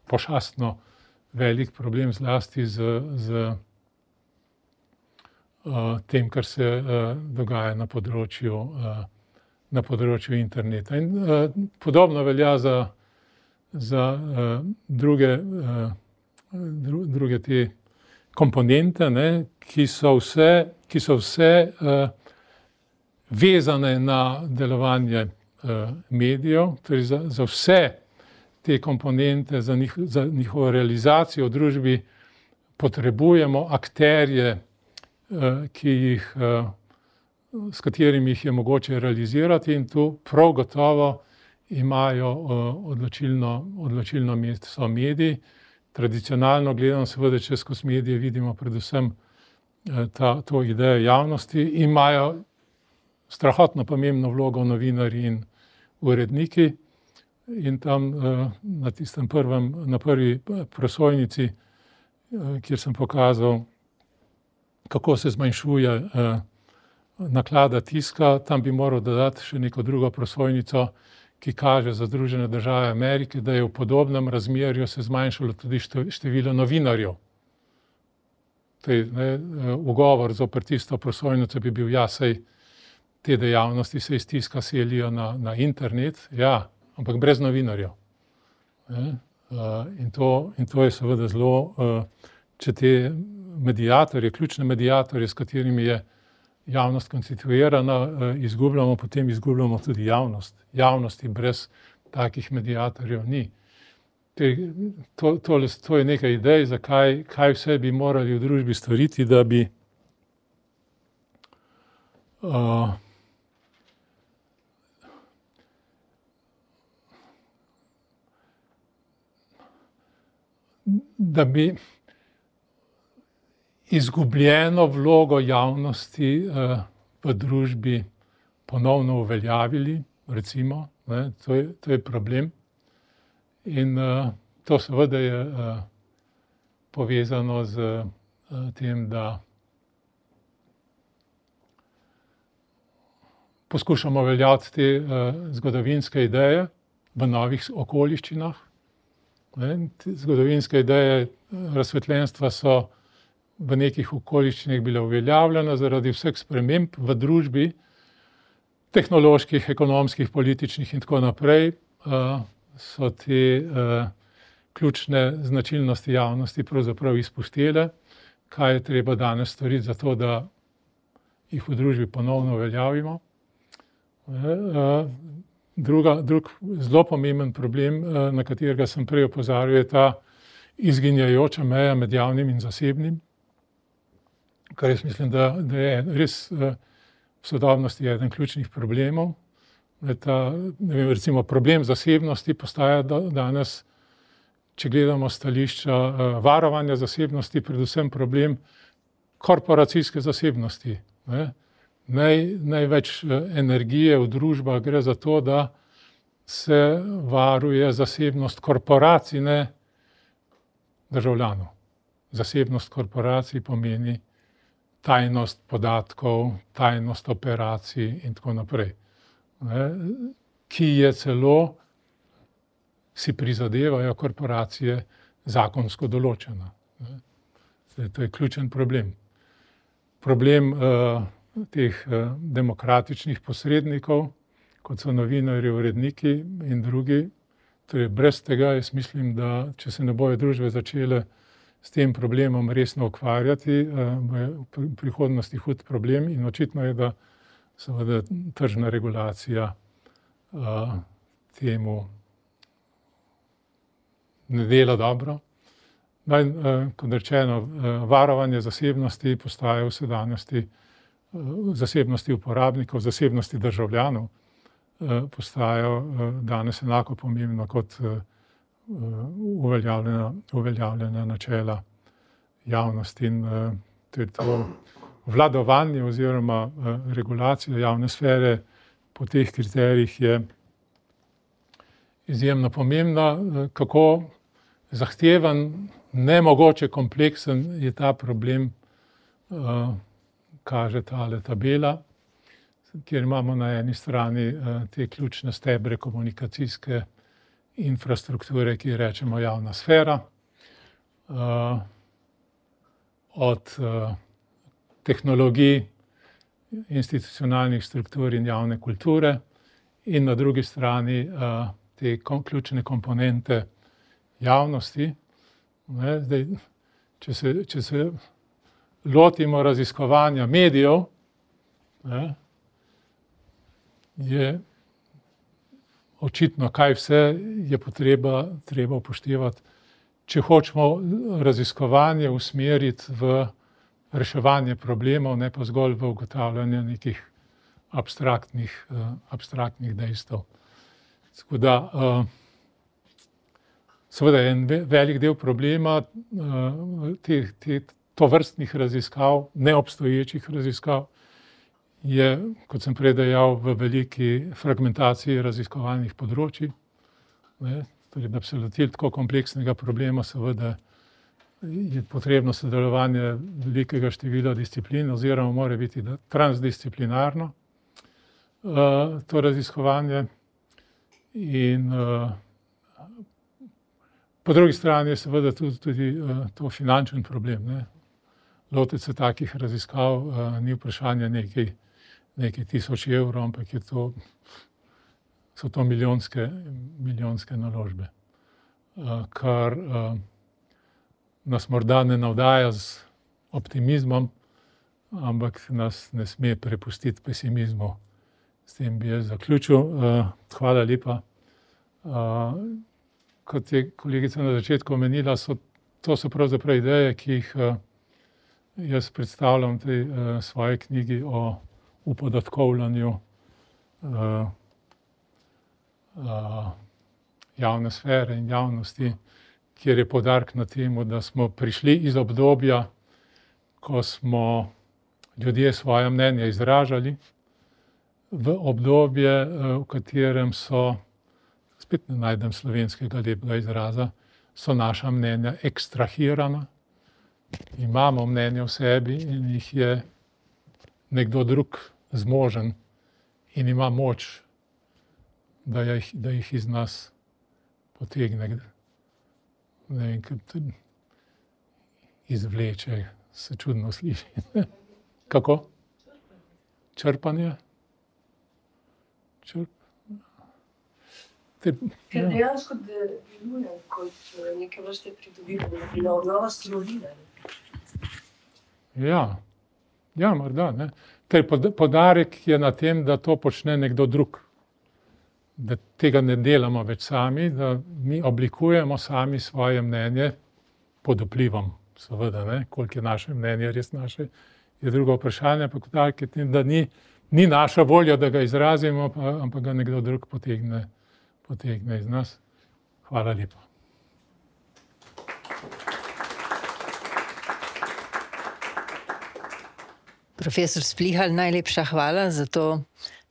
pošastno velik problem, zlasti z, z uh, tem, kar se uh, dogaja na področju, uh, na področju interneta. In uh, podobno velja za, za uh, druge, uh, dru, druge te komponente, ne, ki so vse, ki so vse uh, vezane na delovanje uh, medijev, torej za, za vse te komponente, za, njih, za njihovo realizacijo v družbi potrebujemo akterje, uh, ki jih, uh, s katerimi jih je mogoče realizirati, in tu prav gotovo imajo uh, odločilno, odločilno mesto mediji. Tradicionalno gledano, seveda, če skozi medije vidimo predvsem ta, to idejo javnosti, imajo strahotno pomembno vlogo novinarji in uredniki. In tam na tistem prvem, na prvi prosojnici, kjer sem pokazal, kako se zmanjšuje naklada tiska, tam bi moral dodati še neko drugo prosojnico, ki kaže za Združene države Amerike, da je v podobnem razmerju se zmanjšalo tudi število novinarjev. Tej, ne, ugovor zoper tisto prosojnico bi bil, ja, sej te dejavnosti se iz tiska selijo na, na internet, ja, ampak brez novinarjev. Ne, in, to, in to je seveda zelo, če te medijatorje, ključne medijatorje, s katerimi je javnost konstituirana, izgubljamo, potem izgubljamo tudi javnost. Javnosti brez takih medijatorjev ni. Te, to, to, to je nekaj idej, zakaj, kaj vse bi morali v družbi storiti, da bi uh, da bi izgubljeno vlogo javnosti uh, v družbi ponovno uveljavili, recimo, ne, to je, to je problem. In uh, to seveda je uh, povezano z uh, tem, da poskušamo uveljaviti te uh, zgodovinske ideje v novih okoliščinah. Ne, zgodovinske ideje razsvetljenstva so v nekih okoliščinah bile uveljavljene zaradi vseh sprememb v družbi, tehnoloških, ekonomskih, političnih in tako naprej, uh, so te uh, ključne značilnosti javnosti pravzaprav izpustile. Kaj je treba danes storiti za to, da jih v družbi ponovno uveljavimo? Uh, druga, drug zelo pomemben problem, uh, na katerega sem prej opozarjal, je ta izginjajoča meja med javnim in zasebnim, kar jaz mislim, da, da je res uh, v sodobnosti eden ključnih problemov. Ta, ne vem, recimo problem zasebnosti postaja danes, če gledamo stališča uh, varovanja zasebnosti, predvsem problem korporacijske zasebnosti. Ne? Naj, največ uh, energije v družbah gre za to, da se varuje zasebnost korporacij, ne državljanov. Zasebnost korporacij pomeni tajnost podatkov, tajnost operacij in tako naprej, ne, ki je celo, si prizadevajo korporacije, zakonsko določena. Ne. To je ključen problem. Problem uh, teh uh, demokratičnih posrednikov, kot so novinarji, uredniki in drugi, torej brez tega jaz mislim, da če se ne bojo družbe začele s tem problemom resno ukvarjati, bo v prihodnosti hud problem in očitno je, da seveda tržna regulacija uh, temu ne dela dobro. No in, uh, kot rečeno, uh, varovanje zasebnosti postaja v sedanjosti, uh, zasebnosti uporabnikov, zasebnosti državljanov, uh, postajajo uh, danes enako pomembno kot uh, Uveljavljena, uveljavljena načela javnosti in uh, to, to vladovanje oziroma uh, regulacija javne sfere po teh kriterijih je izjemno pomembna. Uh, kako zahteven, nemogoče kompleksen je ta problem, uh, kaže tale tabela, kjer imamo na eni strani uh, te ključne stebre komunikacijske infrastrukture, ki rečemo javna sfera, uh, od uh, tehnologij, institucionalnih struktur in javne kulture in na drugi strani uh, te kom, ključne komponente javnosti. Ne, zdaj, če se, če se lotimo raziskovanja medijev, ne, je očitno, kaj vse je potreba, treba upoštevati, če hočemo raziskovanje usmeriti v reševanje problemov, ne pa zgolj v ugotavljanje nekih abstraktnih, uh, abstraktnih dejstev. Tako da, uh, seveda je en velik del problema uh, te, te tovrstnih raziskav, neobstoječih raziskav, je, kot sem prej dejal, v veliki fragmentaciji raziskovalnih področij. Ne, torej, da bi se lotili tako kompleksnega problema, seveda je potrebno sodelovanje velikega števila disciplin oziroma mora biti transdisciplinarno uh, to raziskovanje. In uh, po drugi strani je seveda tudi, tudi uh, to finančen problem. Ne. Lotiti se takih raziskav uh, ni vprašanje nekaj nekaj tisoč evrov, ampak je to, so to milijonske, milijonske naložbe, uh, kar uh, nas morda ne navdaja z optimizmom, ampak nas ne sme prepustiti pesimizmu. S tem bi jaz zaključil. Uh, hvala lepa. Uh, kot je kolegica na začetku omenila, so, to so pravzaprav ideje, ki jih uh, jaz predstavljam v tej uh, svoji knjigi o v podatkovljanju uh, uh, javne sfere in javnosti, kjer je poudarek na temu, da smo prišli iz obdobja, ko smo ljudje svoje mnenje izražali, v obdobje, v katerem so, spet ne najdem slovenskega lepega izraza, so naša mnenja ekstrahirana, imamo mnenje v sebi in jih je nekdo drug zmožen in ima moč, da jih, da jih iz nas potegne, ne vem, kot izvleče, se čudno sliši. Kako? Črpanje? Črp... Te, Ker dejansko deluje kot neke vrste pridobivanje, obnova slovine. Ja, ja, morda, ne. Ter poudarek je na tem, da to počne nekdo drug. Da tega ne delamo več sami, da mi oblikujemo sami svoje mnenje pod vplivom, seveda, ne, koliko je naše mnenje res naše, je drugo vprašanje, ampak poudarek je tem, da ni, ni naša volja, da ga izrazimo, pa, ampak ga nekdo drug potegne, potegne iz nas. Hvala lepa. Profesor Splihal, najlepša hvala za to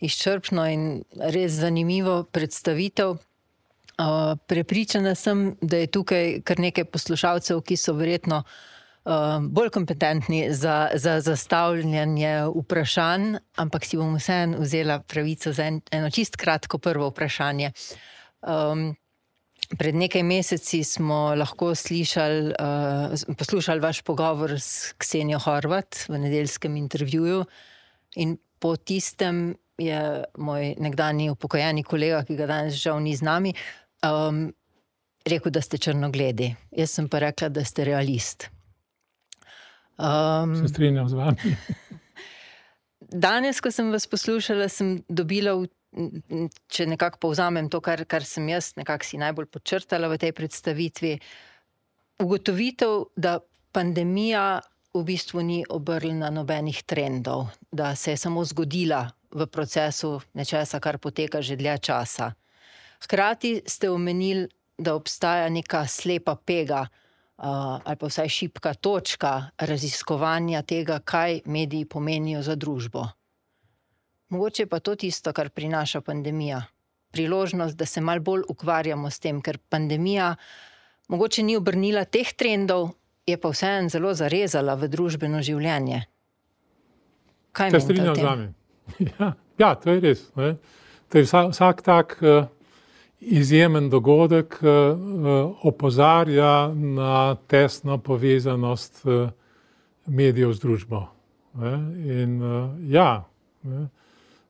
izčrpno in res zanimivo predstavitev. Prepričana sem, da je tukaj kar nekaj poslušalcev, ki so verjetno bolj kompetentni za, za zastavljanje vprašanj, ampak si bom vseeno vzela pravico za en, eno čist kratko prvo vprašanje. Um, Pred nekaj meseci smo lahko slišali, uh, poslušali vaš pogovor s Ksenijo Horvat v nedeljskem intervjuju in po tistem je moj nekdanji upokojeni kolega, ki ga danes žal ni z nami, um, rekel, da ste črnogledi. Jaz sem pa rekla, da ste realist. Um, Se strinjam z vami. Danes, ko sem vas poslušala, sem dobila v če nekako povzamem to, kar, kar sem jaz nekako si najbolj podčrtala v tej predstavitvi, ugotovitev, da pandemija v bistvu ni obrnila nobenih trendov, da se je samo zgodila v procesu nečesa, kar poteka že dlje časa. Hkrati ste omenili, da obstaja neka slepa pega uh, ali pa vsaj šibka točka raziskovanja tega, kaj mediji pomenijo za družbo. Mogoče pa to tisto, kar prinaša pandemija. Priložnost, da se malo bolj ukvarjamo s tem, ker pandemija mogoče ni obrnila teh trendov, je pa vseeno zelo zarezala v družbeno življenje. Kaj menite o tem? Se strinjam z vami. Ja, ja, to je res. Ne? To je vsak, vsak tak uh, izjemen dogodek uh, opozarja na tesno povezanost uh, medijev z družbo. Ne? In uh, ja, ne?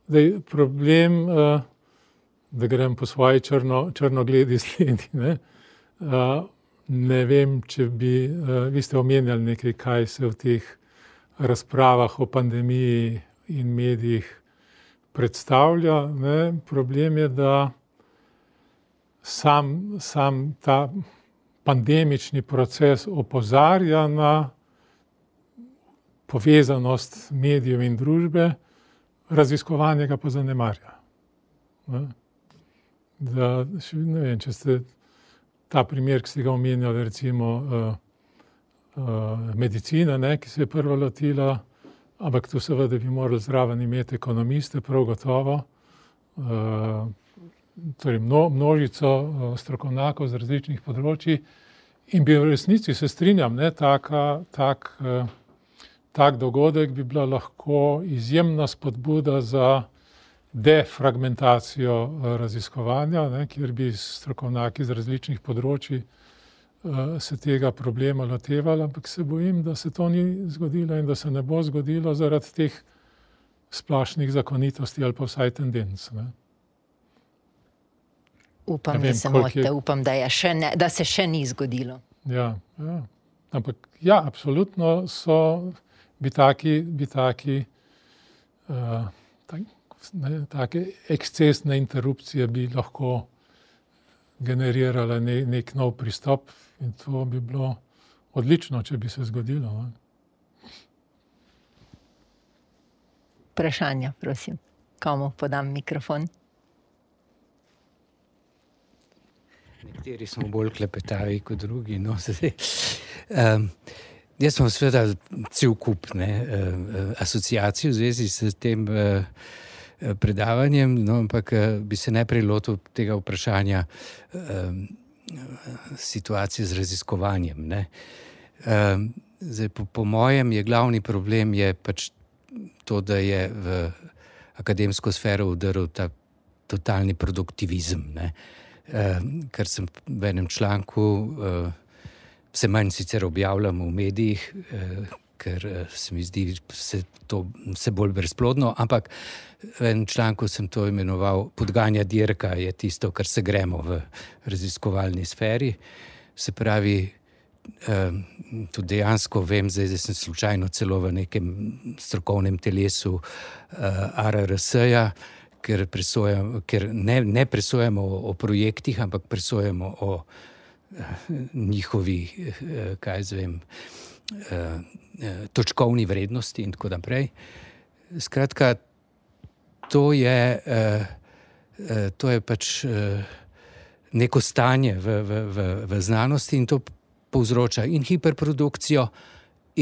Zdaj, problem, da grem po svoji črno, črnogledi sledi, ne? Ne vem, če bi, vi ste omenjali nekaj, kaj se v teh razpravah o pandemiji in medijih predstavlja, ne? Problem je, da sam, sam ta pandemični proces opozarja na povezanost medijev in družbe, raziskovanje ga pa zanemarja. Ne? Da, ne vem, če ste ta primer, ki ste ga omenjali, recimo uh, uh, medicina, ne, ki se je prva lotila, ampak tu seveda bi morali zraven imeti ekonomiste, prav gotovo, uh, torej mno, množico uh, strokovnjakov z različnih področji in bi v resnici, se strinjam, ne, taka, tak uh, Tak dogodek bi bila lahko izjemna spodbuda za defragmentacijo raziskovanja, ne, kjer bi strokovnjaki z različnih področji uh, se tega problema lotevali, ampak se bojim, da se to ni zgodilo in da se ne bo zgodilo zaradi teh splošnih zakonitosti ali pa vsaj tendenc. Ne. Upam, vem, da se motite, je... upam, da, je še ne, da se še ni zgodilo. Ja, ja. Ampak ja, absolutno so bi taki, bi taki uh, tak, ne, take ekscesne interrupcije bi lahko generirale ne, nek nov pristop in to bi bilo odlično, če bi se zgodilo. Ne. vprašanja, prosim. Komu podam mikrofon? Nekateri smo bolj klepetavi kot drugi. No, um, jaz sem seveda cel kup ne, uh, asociacij v zvezi s tem uh, predavanjem, no, ampak uh, bi se najprej lotil tega vprašanja um, situacije z raziskovanjem. Ne. Um, zdaj, po, po mojem je glavni problem je pač to, da je v akademsko sfero vdrl ta totalni produktivizem, ne. Uh, ker sem v enem članku, uh, vse manj sicer objavljam v medijih, uh, ker uh, se mi zdi vse to vse bolj brezplodno, ampak v enem članku sem to imenoval podganja dirka, je tisto, kar se gremo v raziskovalni sferi. Se pravi, uh, tudi dejansko vem, zdaj, da sem slučajno celo v nekem strokovnem telesu uh, A R R S-ja, ker, ker ne, ne presojamo o, o projektih, ampak presojamo o eh, njihovi, eh, kaj zvem, eh, točkovni vrednosti in tako naprej. Skratka, to je, eh, eh, to je pač eh, neko stanje v, v, v, v znanosti in to povzroča in hiperprodukcijo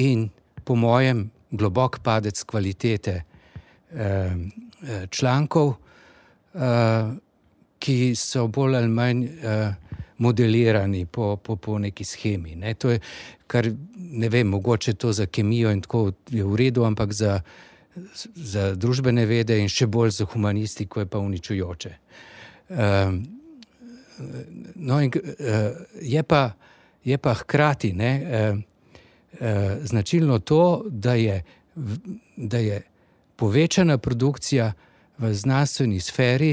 in po mojem globok padec kvalitete eh, člankov, uh, ki so bolj ali manj uh, modelirani po, po, po neki schemi. Ne. To je, kar ne vem, mogoče to za kemijo in tako je v redu, ampak za, za družbene vede in še bolj za humanistiko je pa uničujoče. Uh, no in uh, je pa, je pa hkrati ne, uh, uh, značilno to, da je, da je povečana produkcija v znanstveni sferi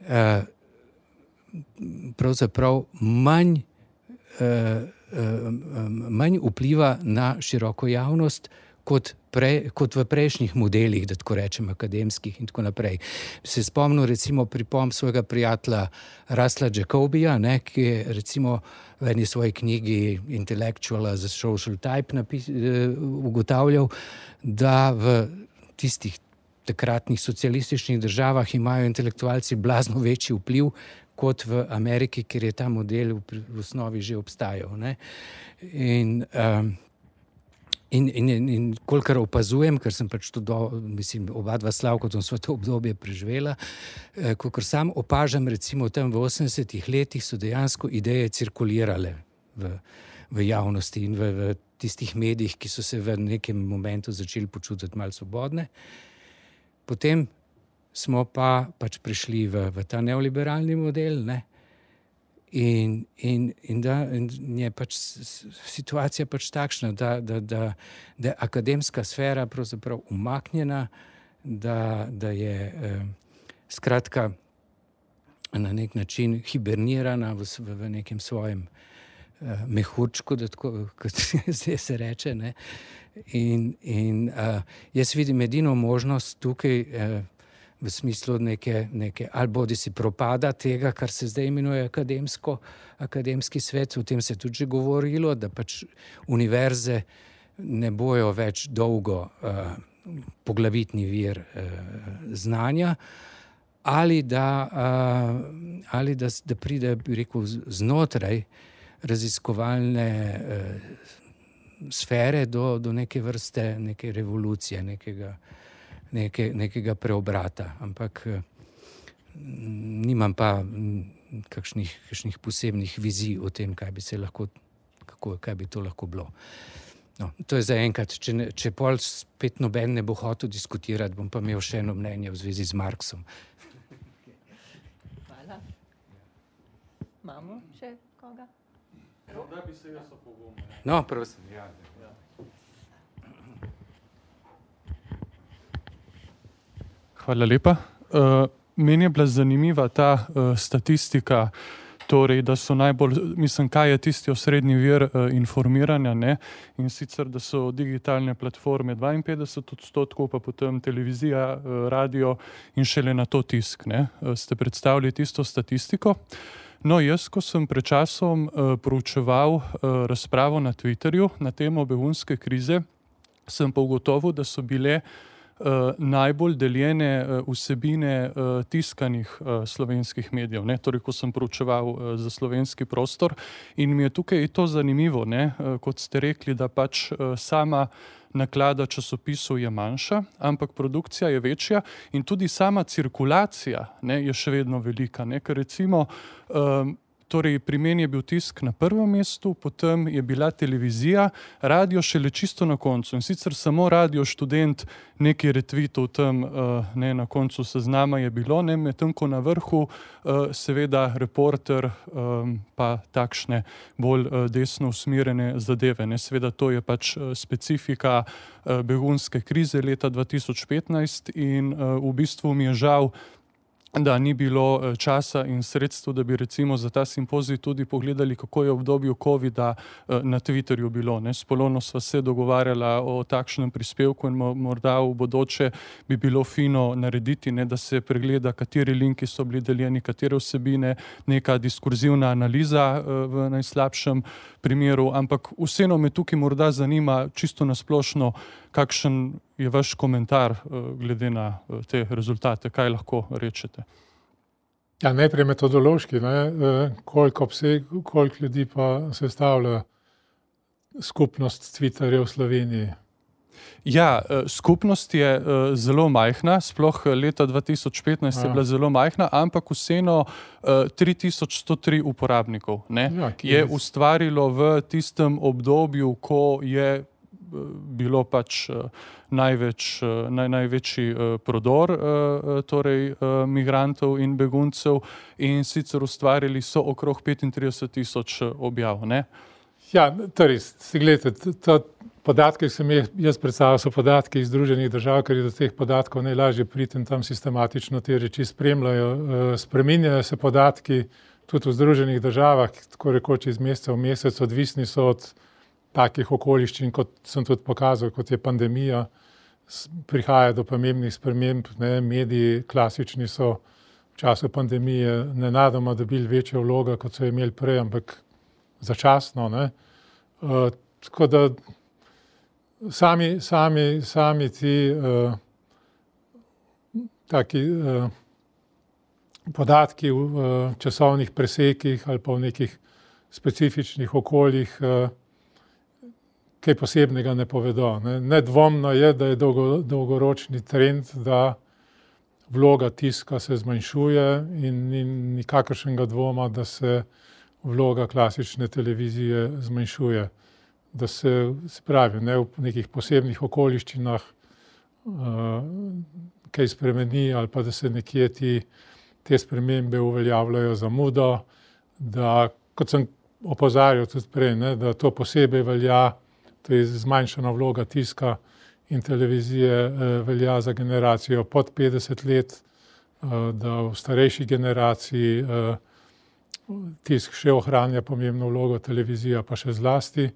eh, pravzaprav manj, eh, manj vpliva na široko javnost kot, pre, kot v prejšnjih modelih, da tako rečem, akademskih in tako naprej. Se spomnim recimo pripomb svojega prijatelja Russella Jacobija, ne, ki je recimo v eni svoji knjigi Intellectual as a Social Type napis, eh, ugotavljal, da v tistih takratnih socialističnih državah imajo intelektualci blazno večji vpliv kot v Ameriki, ker je ta model v, v osnovi že obstajal. Ne? In, um, in, in, in, in kolikor opazujem, ker sem pač tudi, mislim, oba dva Slavkotom sva to obdobje preživela, eh, kolikor sam opažam, recimo tam v osemdesetih letih so dejansko ideje cirkulirale v, v javnosti in v, v tistih medijih, ki so se v nekem momentu začeli počutiti malo svobodne. Potem smo pa pač prišli v, v ta neoliberalni model, ne? In, in, in da in je pač situacija pač takšna, da, da, da, da je akademska sfera pravzaprav umaknjena, da, da je eh, skratka na nek način hibernirana v, v nekem svojem uh, mehurčku, da tako, kot zdaj se reče, ne. In, in uh, jaz vidim edino možnost tukaj uh, v smislu neke, neke ali bodi si propada tega, kar se zdaj imenuje akademsko, akademski svet, o tem se je tudi že govorilo, da pač univerze ne bojo več dolgo uh, poglavitni vir uh, znanja, ali da, uh, ali da, da pride, bi rekel, znotraj raziskovalne uh, sfere do, do neke vrste, neke revolucije, nekega, neke, nekega preobrata. Ampak uh, nimam pa kakšnih, kakšnih posebnih vizij o tem, kaj bi se lahko, kako, kaj bi to lahko bilo. No, to je za enkrat. Če, ne, če pol spet noben ne bo hotel diskutirati, bom pa imel še eno mnenje v zvezi z Marksom. Hvala. Imamo še koga? Da bi se jaz opogumil. No, prosim. Ja. Hvala lepa. Uh, meni je bila zanimiva ta uh, statistika, torej, da so najbolj, mislim, kaj je tisti osrednji vir uh, informiranja, ne? In sicer, da so digitalne platforme dvainpetdeset odstotkov, pa potem televizija, uh, radio in šele na to tisk, ne? Uh, ste predstavili tisto statistiko. No, jaz, ko sem pred časom uh, proučeval uh, razpravo na Twitterju na temo begunske krize, sem pa ugotovil, da so bile najbolj deljene vsebine tiskanih slovenskih medijev, ne, torej ko sem proučeval za slovenski prostor, in mi je tukaj to zanimivo, ne, kot ste rekli, da pač sama naklada časopisov je manjša, ampak produkcija je večja in tudi sama cirkulacija, ne, je še vedno velika, ne, ker recimo um, Torej, pri meni je bil tisk na prvem mestu, potem je bila televizija, radio šele čisto na koncu. In sicer samo Radio Študent nekaj retvitov tam, ne, na koncu seznama je bilo, ne, medtem ko na vrhu seveda Reporter pa takšne bolj desno usmerjene zadeve. Ne. Seveda to je pač specifika begunske krize leta dva tisoč petnajst in v bistvu mi je žal, da ni bilo časa in sredstva, da bi recimo za ta simpozij tudi pogledali, kako je v obdobju covida na Twitterju bilo. Ne. S Polono sva se dogovarjala o takšnem prispevku in morda v bodoče bi bilo fino narediti, ne, da se pregleda, kateri linki so bili deljeni, katere vsebine, neka diskurzivna analiza v najslabšem primeru, ampak vseeno me tukaj morda zanima čisto nasplošno, kakšen je vaš komentar glede na te rezultate, kaj lahko rečete? Ja, najprej metodološki, ne, koliko obseg, koliko ljudi pa sestavlja skupnost Twitterja v Sloveniji? Ja, skupnost je zelo majhna, sploh leta dva tisoč petnajst je bila zelo majhna, ampak vseeno tri tisoč sto tri uporabnikov, ne, ja, je ustvarilo v tistem obdobju, ko je bilo pač največ, naj, največji prodor torej migrantov in beguncev in sicer ustvarili so okrog petintrideset tisoč objav, ne? Ja, torej, gledajte, to podatke, ki sem jaz predstavil, so podatki iz Združenih držav, ker je do teh podatkov najlažje priti in tam sistematično te reči spremljajo. Spreminjajo se podatki tudi v Združenih državah, tako rekoč iz meseca v mesec, odvisni so od takih okoliščin, kot sem tudi pokazal, kot je pandemija, prihaja do pomembnih sprememb, ne, mediji klasični so v času pandemije nenadoma dobili večjo vlogo, kot so imeli prej, ampak začasno, ne. Uh, tako da sami, sami, sami ti uh, taki uh, podatki v uh, časovnih presekih ali pa v nekih specifičnih okoljih uh, kaj posebnega ne povedo. Ne. Nedvomno je, da je dolgo, dolgoročni trend, da vloga tiska se zmanjšuje in ni nikakršnega dvoma, da se vloga klasične televizije zmanjšuje. Da se, se pravi, ne, v nekih posebnih okoliščinah uh, kaj spremeni ali pa da se nekje ti, te spremembe uveljavljajo zamudo, da, kot sem opozarjal tudi prej, ne, da to posebej velja, to je zmanjšana vloga tiska in televizije eh, velja za generacijo pod petdeset let, eh, da v starejši generaciji eh, tisk še ohranja pomembno vlogo, televizija pa še zlasti.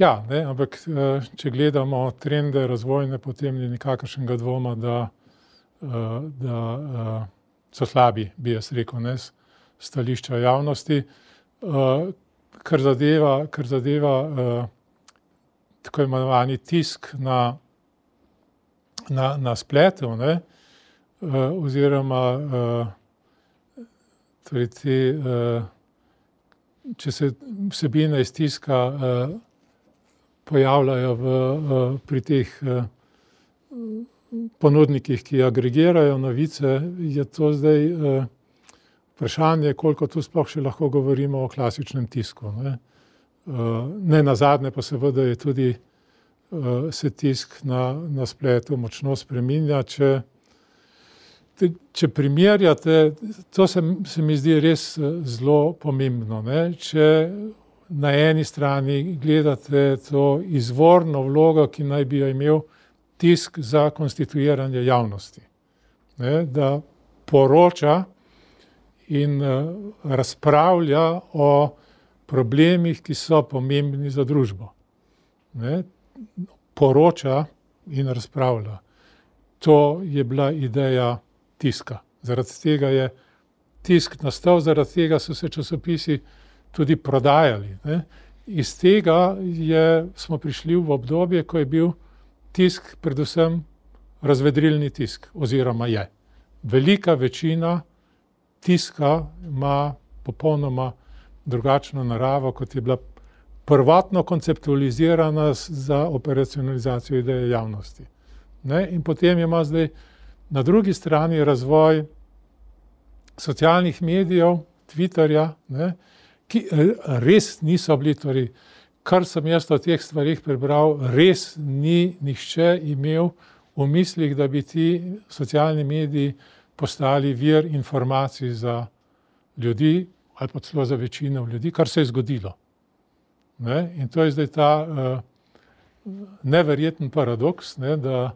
Ja, ne, ampak eh, če gledamo trende razvojne, potem ni nikakršnega dvoma, da, eh, da eh, so slabi, bi jaz rekel, ne, stališča javnosti. Eh, kar zadeva, kar zadeva eh, tako imenovani tisk na, na, na spletu, ne, uh, oziroma uh, torej te, uh, če se vsebine iz tiska uh, pojavljajo v, uh, pri teh uh, ponudnikih, ki agregirajo novice, je to zdaj uh, vprašanje, koliko tu sploh še lahko govorimo o klasičnem tisku, ne. Ne nazadnje pa seveda je tudi uh, se tisk na, na spletu močno spreminja. Če, te, če primerjate, to se, se mi zdi res zelo pomembno, ne? Če na eni strani gledate to izvorno vlogo, ki naj bi jo imel tisk za konstituiranje javnosti, ne? Da poroča in uh, razpravlja o problemih, ki so pomembni za družbo. Ne? Poroča in razpravlja. To je bila ideja tiska. Zaradi tega je tisk nastal, zaradi tega so se časopisi tudi prodajali. Ne? Iz tega je, smo prišli v obdobje, ko je bil tisk predvsem razvedrilni tisk, oziroma je. Velika večina tiska ima popolnoma drugačno naravo, kot je bila prvotno konceptualizirana za operacionalizacijo ideje javnosti. Ne? In potem ima zdaj na drugi strani razvoj socialnih medijev, Twitterja, ne? Ki res niso bili, torej, kar sem jaz o teh stvarih prebral, res ni nihče imel v mislih, da bi ti socialni mediji postali vir informacij za ljudi ali pa celo za večino ljudi, kar se je zgodilo. Ne? In to je zdaj ta uh, neverjeten paradoks, ne? Da,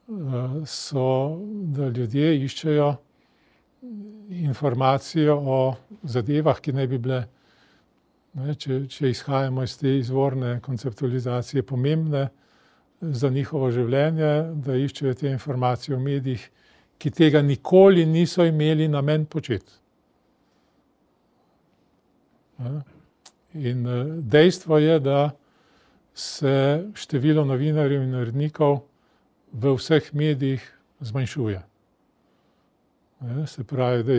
uh, so, da ljudje iščejo informacijo o zadevah, ki ne bi bile, ne, če, če izhajamo iz te izvorne konceptualizacije, pomembne za njihovo življenje, da iščejo te informacije v medijih, ki tega nikoli niso imeli namen početi. Ne? In dejstvo je, da se število novinarjev in urednikov v vseh medijih zmanjšuje. Se pravi, da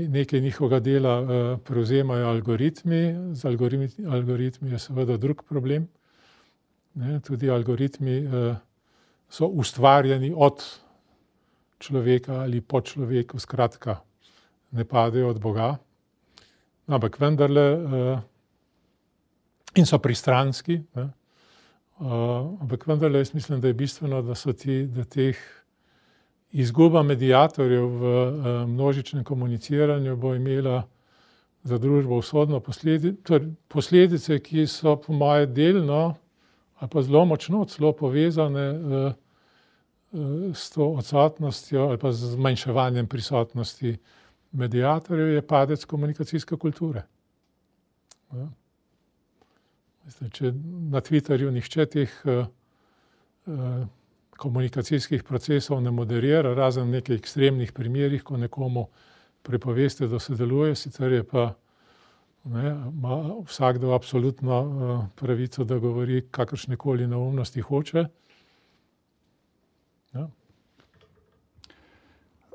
nekaj njihovega dela prevzemajo algoritmi, z algoritmi, algoritmi je seveda drug problem. Tudi algoritmi so ustvarjeni od človeka ali po človeku, skratka, ne padejo od Boga. Ampak vendarle, in so pristranski, ne? Ampak vendarle jaz mislim, da je bistveno, da so ti, da teh izguba mediatorjev v množičnem komuniciranju bo imela za družbo usodno posledice, posledice, ki so po moje delno ali pa zelo močno celo povezane s to odsotnostjo ali pa z zmanjševanjem prisotnosti mediatorjev, je padec komunikacijske kulture. Ja. Mislim, če na Twitterju nihče teh uh, uh, komunikacijskih procesov ne moderira, razen v nekaj ekstremnih primerih, ko nekomu prepoveste, da sodeluje, sicer je pa ne, ima vsakdo absolutno uh, pravico, da govori kakršnekoli neumnosti hoče. Ja.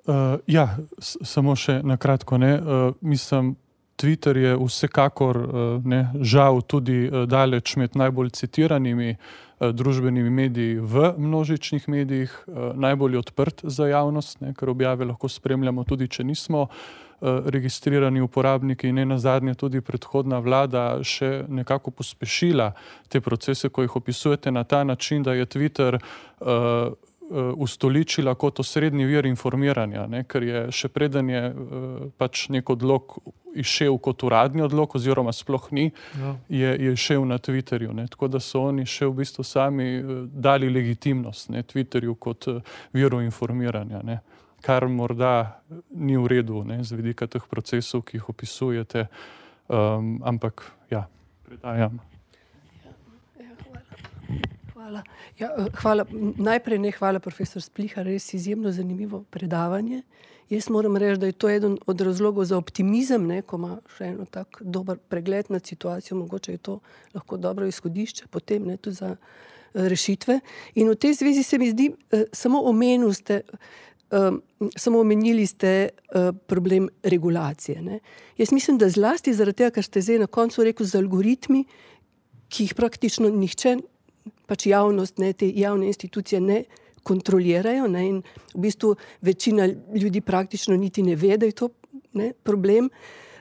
Uh, ja, samo še na kratko, ne, uh, mislim, Twitter je vsekakor, uh, ne, žal tudi uh, daleč med najbolj citiranimi uh, družbenimi mediji v množičnih medijih, uh, najbolj odprt za javnost, ne, ker objave lahko spremljamo tudi, če nismo uh, registrirani uporabniki, in ne nazadnje tudi predhodna vlada še nekako pospešila te procese, ko jih opisujete na ta način, da je Twitter uh, ustoličila kot osrednji vir informiranja, ne, ker je še preden je uh, pač nek odlok izšel kot uradni odlok, oziroma sploh ni, ja. je, je šel na Twitterju. Ne, tako da so oni še v bistvu sami uh, dali legitimnost, ne, Twitterju kot uh, viru informiranja, ne, kar morda ni v redu, ne, z vidika teh procesov, ki jih opisujete, um, ampak ja, predajam. Hvala. Ja, hvala. Najprej ne hvala, profesor Splihar, res izjemno zanimivo predavanje. Jaz moram reči, da je to eden od razlogov za optimizem, ne, ko ima še eno tak dober pregled nad situacijo, mogoče je to lahko dobro izhodišče potem, ne, tudi za rešitve. In v tej zvezi se mi zdi, samo omenili ste, um, samo omenili ste uh, problem regulacije. Ne. Jaz mislim, da zlasti zaradi tega, kar ste zdaj na koncu rekel, z algoritmi, ki jih praktično nihče, pač javnost, ne, te javne institucije ne kontrolirajo, ne, in v bistvu večina ljudi praktično niti ne ve, da je to, ne, problem.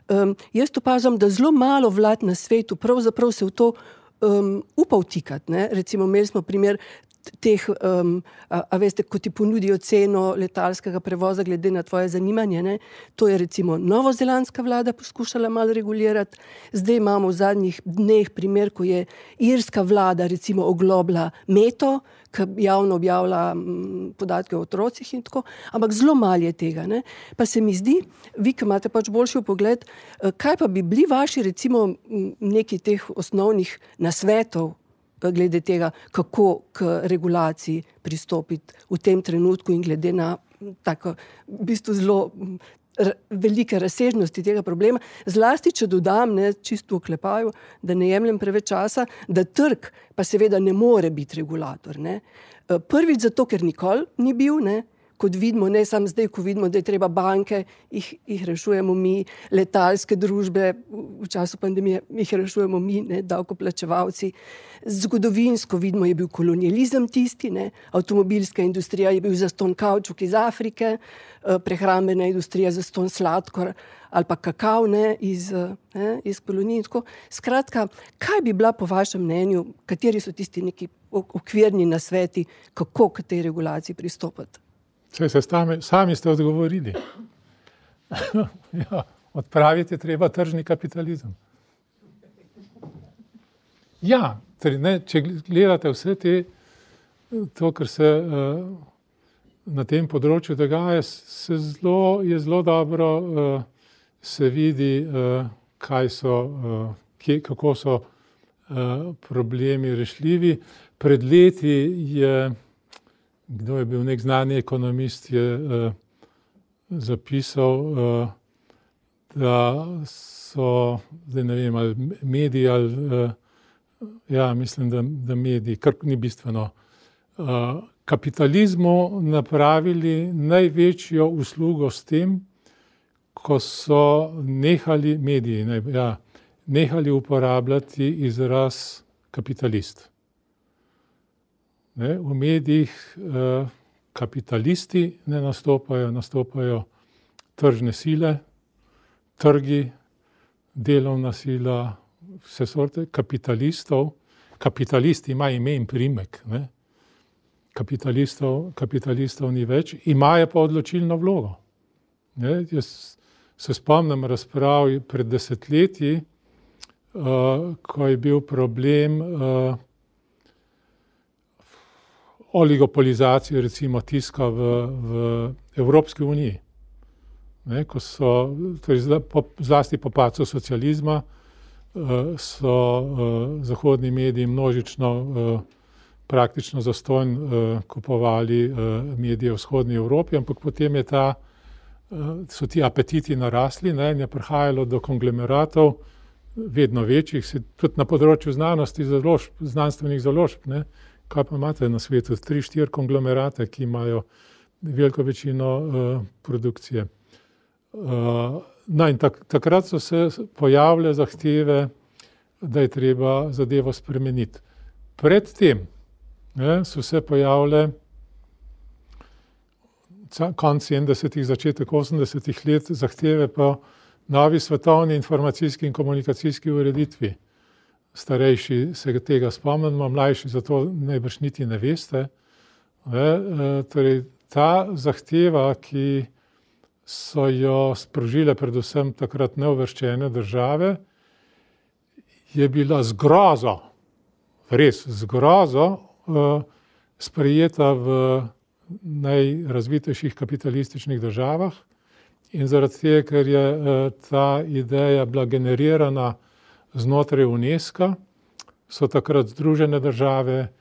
Um, jaz opažam, da zelo malo vlad na svetu pravzaprav se v to um, upa vtikati, ne. Recimo, imeli smo primer teh, um, a, a veste, ko ti ponudijo ceno letalskega prevoza glede na tvoje zanimanje, ne, to je recimo novozelandska vlada poskušala malo regulirati, zdaj imamo v zadnjih dneh primer, ko je irska vlada recimo oglobila Meto, ki javno objavlja m, podatke o otrocih in tako, ampak zelo malo je tega, ne. Pa se mi zdi, vi, ki imate pač boljši vpogled, kaj pa bi bili vaši recimo neki teh osnovnih nasvetov glede tega, kako k regulaciji pristopiti v tem trenutku in glede na tako, v bistvu zelo velike razsežnosti tega problema. Zlasti, če dodam, ne, čisto v oklepaju, da ne jemljem preveč časa, da trg pa seveda ne more biti regulator. Ne. Prvič zato, ker nikoli ni bil, ne, kot vidimo, ne samo zdaj, ko vidimo, da je treba banke, jih, jih rešujemo mi, letalske družbe, v času pandemije jih rešujemo mi, ne, davkoplačevalci. Zgodovinsko vidimo, je bil kolonializem tisti, ne, avtomobilska industrija je bil zastonj kavčuk iz Afrike, prehrambena industrija zastonj sladkor ali pa kakav, ne, iz, ne, iz kolonij. Skratka, kaj bi bila po vašem mnenju, kateri so tisti neki okvirni nasveti, kako k tej regulaciji pristopati? Saj se sami, sami ste odgovorili. Ja, odpraviti je treba tržni kapitalizem. Ja, torej, ne, če gledate vse te, to, kar se uh, na tem področju dogaja, se zelo, je zelo dobro uh, se vidi, uh, kaj so, uh, kje, kako so uh, problemi rešljivi. Pred leti je Kdo je bil nek znani ekonomist, je uh, zapisal, uh, da so, zdaj ne vem, ali mediji, ali, uh, ja, mislim, da, da mediji, kar ni bistveno, uh, kapitalizmu napravili največjo uslugo s tem, ko so nehali mediji, ne, ja, nehali uporabljati izraz kapitalist. Ne, v medijih eh, kapitalisti ne nastopajo, nastopajo tržne sile, trgi, delovna sila, vse sorte kapitalistov. Kapitalist ima ime in primek. Ne. Kapitalistov, kapitalistov ni več, imajo pa odločilno vlogo. Ne, jaz se spomnim razprav pred desetletji, uh, ko je bil problem uh, oligopolizacije recimo tiska v, v Evropski uniji. Ne, ko so, torej zlasti po padcu socializma, so zahodni mediji množično, praktično zastonj kupovali medije v vzhodni Evropi, ampak potem je ta, so ti apetiti narasli, ne, in je prihajalo do konglomeratov, vedno večjih, tudi na področju znanosti, založb, znanstvenih založb, ne. Kaj pa imate na svetu? Tri, štiri konglomerate, ki imajo veliko večino uh, produkcije. Uh, no in tak, takrat so se pojavile zahteve, da je treba zadevo spremeniti. Predtem ne, so se pojavile konec sedemdesetih, začetek osemdesetih let zahteve po novi svetovni informacijski in komunikacijski ureditvi. Starejši se tega spomnimo, mlajši zato najbrž niti ne veste. Ne, torej, ta zahteva, ki so jo sprožile predvsem takrat neuvrščene države, je bila z grozo, res z grozo, sprejeta v najrazvitejših kapitalističnih državah in zaradi tega, ker je ta ideja bila generirana znotraj UNESCO, so takrat Združene države,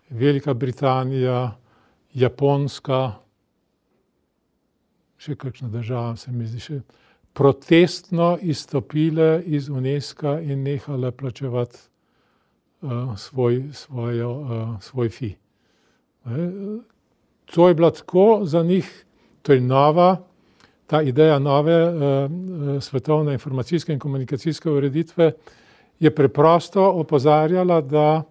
Velika Britanija, Japonska, še kakšna država se mi zdi še, protestno izstopile iz UNESCO in nehale plačevati uh, svoj, svojo, uh, svoj fi. Ne? To je bila tako za njih, to je nova, ta ideja nove uh, svetovne informacijske in komunikacijske ureditve je preprosto opozarjala, da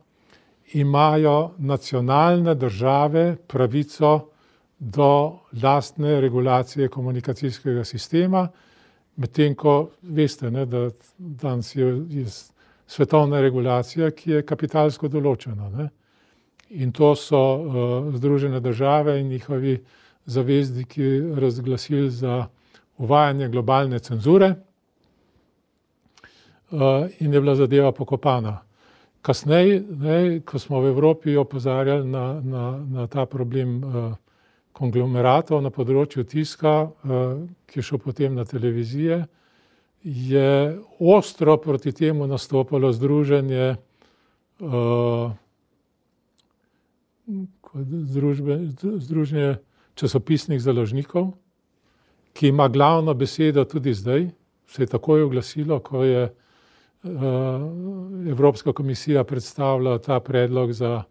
imajo nacionalne države pravico do lastne regulacije komunikacijskega sistema, medtem ko veste, ne, da danes je, je svetovna regulacija, ki je kapitalsko določena. Ne. In to so uh, Združene države in njihovi zavezniki razglasili za uvajanje globalne cenzure. Uh, in je bila zadeva pokopana. Kasneje, ne, ko smo v Evropi opozarjali na, na, na ta problem uh, konglomeratov na področju tiska, uh, ki je šel potem na televizije, je ostro proti temu nastopalo združenje, uh, združbe, združenje časopisnih založnikov, ki ima glavno besedo tudi zdaj, se je takoj oglasilo, ko je Evropska komisija predstavila ta predlog za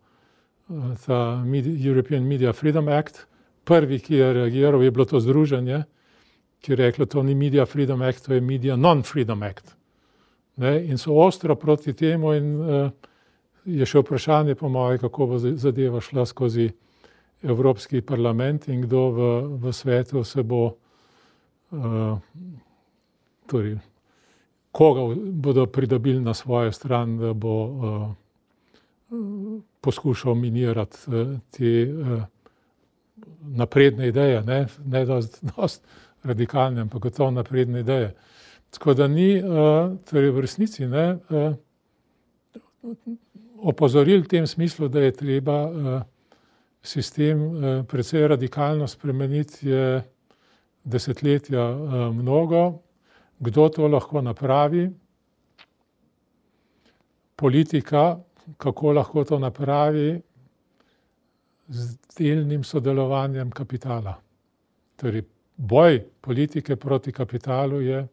ta European Media Freedom Act. Prvi, ki je reagiral, je bilo to združenje, ki je reklo, to ni Media Freedom Act, to je Media Non-Freedom Act. Ne? In so ostro proti temu in uh, je še vprašanje po moje, kako bo zadeva šla skozi Evropski parlament in kdo v, v svetu se bo uh, torej, koga bodo pridobili na svojo stran, da bo uh, poskušal minirati uh, te uh, napredne ideje, ne, ne dost, dost radikalne, ampak gotovo napredne ideje. Tako da ni uh, torej v resnici ne, uh, opozoril v tem smislu, da je treba uh, sistem uh, precej radikalno spremeniti, je desetletja uh, mnogo. Kdo to lahko napravi? Politika, kako lahko to napravi? Z delnim sodelovanjem kapitala. Torej, boj politike proti kapitalu je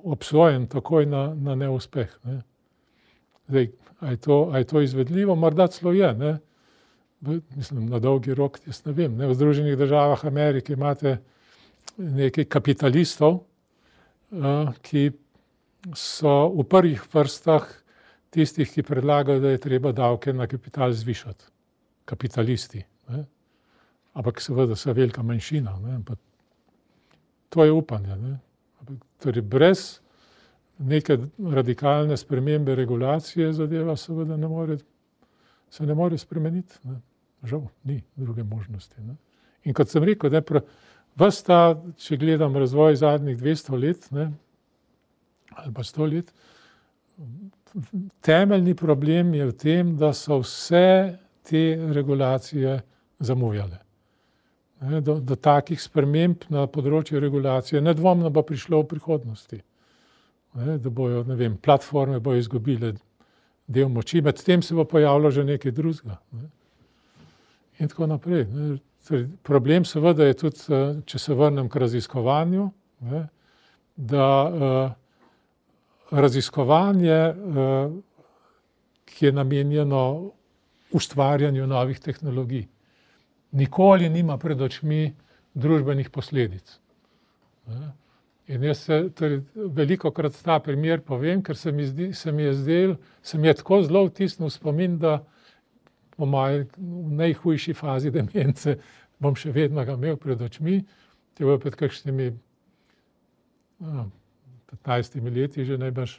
obsojen takoj na, na neuspeh. Ne? Zdaj, a je to, a je to izvedljivo? Morda celo je. Ne? Mislim, na dolgi rok, jaz ne vem. Ne? V Združenih državah Amerike imate nekaj kapitalistov, ki so v prvih vrstah tistih, ki predlagajo, da je treba davke na kapital zvišati. Kapitalisti. Ne? Ampak seveda so velika manjšina. Ne? Ampak to je upanje. Ne? Torej, brez neke radikalne spremembe regulacije zadeva seveda ne more, se ne more spremeniti. Ne? Žal, ni druge možnosti. Ne? In kot sem rekel, ne, ves ta, če gledam razvoj zadnjih dvesto let, ne, ali pa sto let, temeljni problem je v tem, da so vse te regulacije zamujale. Ne, do, do takih sprememb na področju regulacije nedvomno bo prišlo v prihodnosti. Ne, da bojo, ne vem, platforme bojo izgubile del moči, med tem se bo pojavilo že nekaj drugega. Ne. In tako naprej. Ne. Problem seveda je tudi, če se vrnem k raziskovanju, ne, da uh, raziskovanje, uh, ki je namenjeno ustvarjanju novih tehnologij, nikoli nima pred očmi družbenih posledic. Ne. In jaz se torej, velikokrat ta primer povem, ker se mi, zdi, se mi je zdel, se mi je tako zelo vtisnil spomin, da po moji najhujši fazi demence bom še vedno ga imel pred očmi. To je pred kakšnimi no, petnajstimi leti že najbrž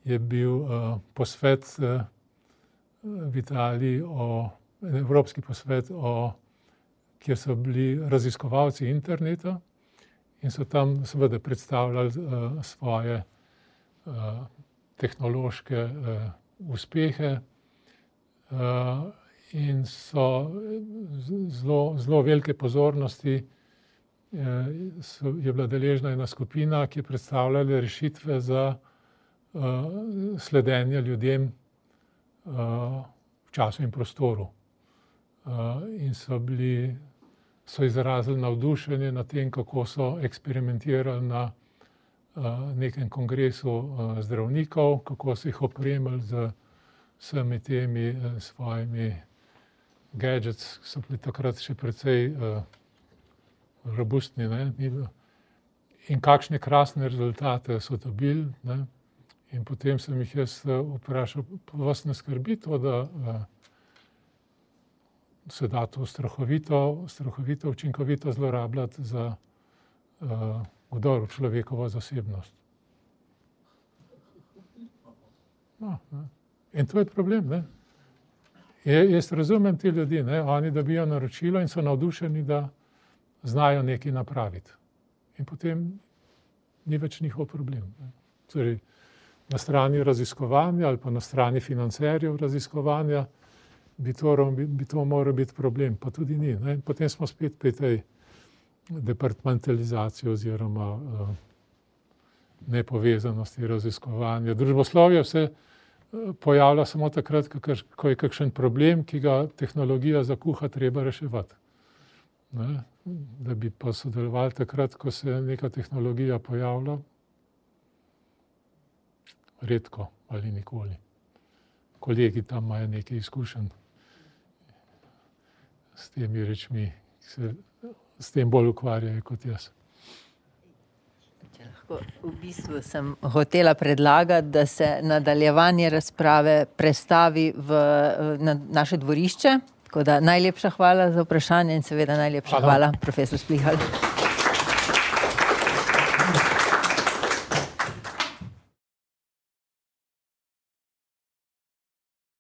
je bil uh, posvet uh, v Italiji, o, evropski posvet, o, kjer so bili raziskovalci interneta in so tam seveda predstavljali uh, svoje uh, tehnološke uh, uspehe. Uh, In so zelo, zelo velike pozornosti so, je bila deležna ena skupina, ki je predstavljala rešitve za uh, sledenje ljudem uh, v času in prostoru. Uh, in so, bili, so izrazili navdušenje nad tem, kako so eksperimentirali na uh, nekem kongresu uh, zdravnikov, kako so jih opremili z vsemi temi uh, svojimi gadgets, ki so bili takrat še precej uh, robustni. Ne? In kakšne krasne rezultate so dobili. Ne? In potem sem jih jaz vprašal, vas ne skrbi to, da uh, se da to strahovito, strahovito učinkovito zlorabljati za uh, vdor v človekovo zasebnost. No, ne? In to je problem. Ne? Je, jaz razumem te ljudi, ne? Oni dobijo naročilo in so navdušeni, da znajo nekaj napraviti. In potem ni več njihov problem. Ne? Torej, na strani raziskovanja ali pa na strani financerjev raziskovanja bi to, bi to moral biti problem, pa tudi ni. Ne? Potem smo spet pri tej departmentalizaciji oziroma uh, nepovezanosti raziskovanja. Družboslovje vse pojavlja samo takrat, ko je kakšen problem, ki ga tehnologija zakuha, treba reševati. Ne? da bi pa sodelovali takrat, ko se neka tehnologija pojavlja, redko ali nikoli. Kolegi tam imajo nekaj izkušenj s temi rečmi, ki se s tem bolj ukvarjajo kot jaz. V bistvu sem hotela predlagati, da se nadaljevanje razprave prestavi v, na naše dvorišče. Tako da najlepša hvala za vprašanje in seveda najlepša hvala, hvala profesor Splihal.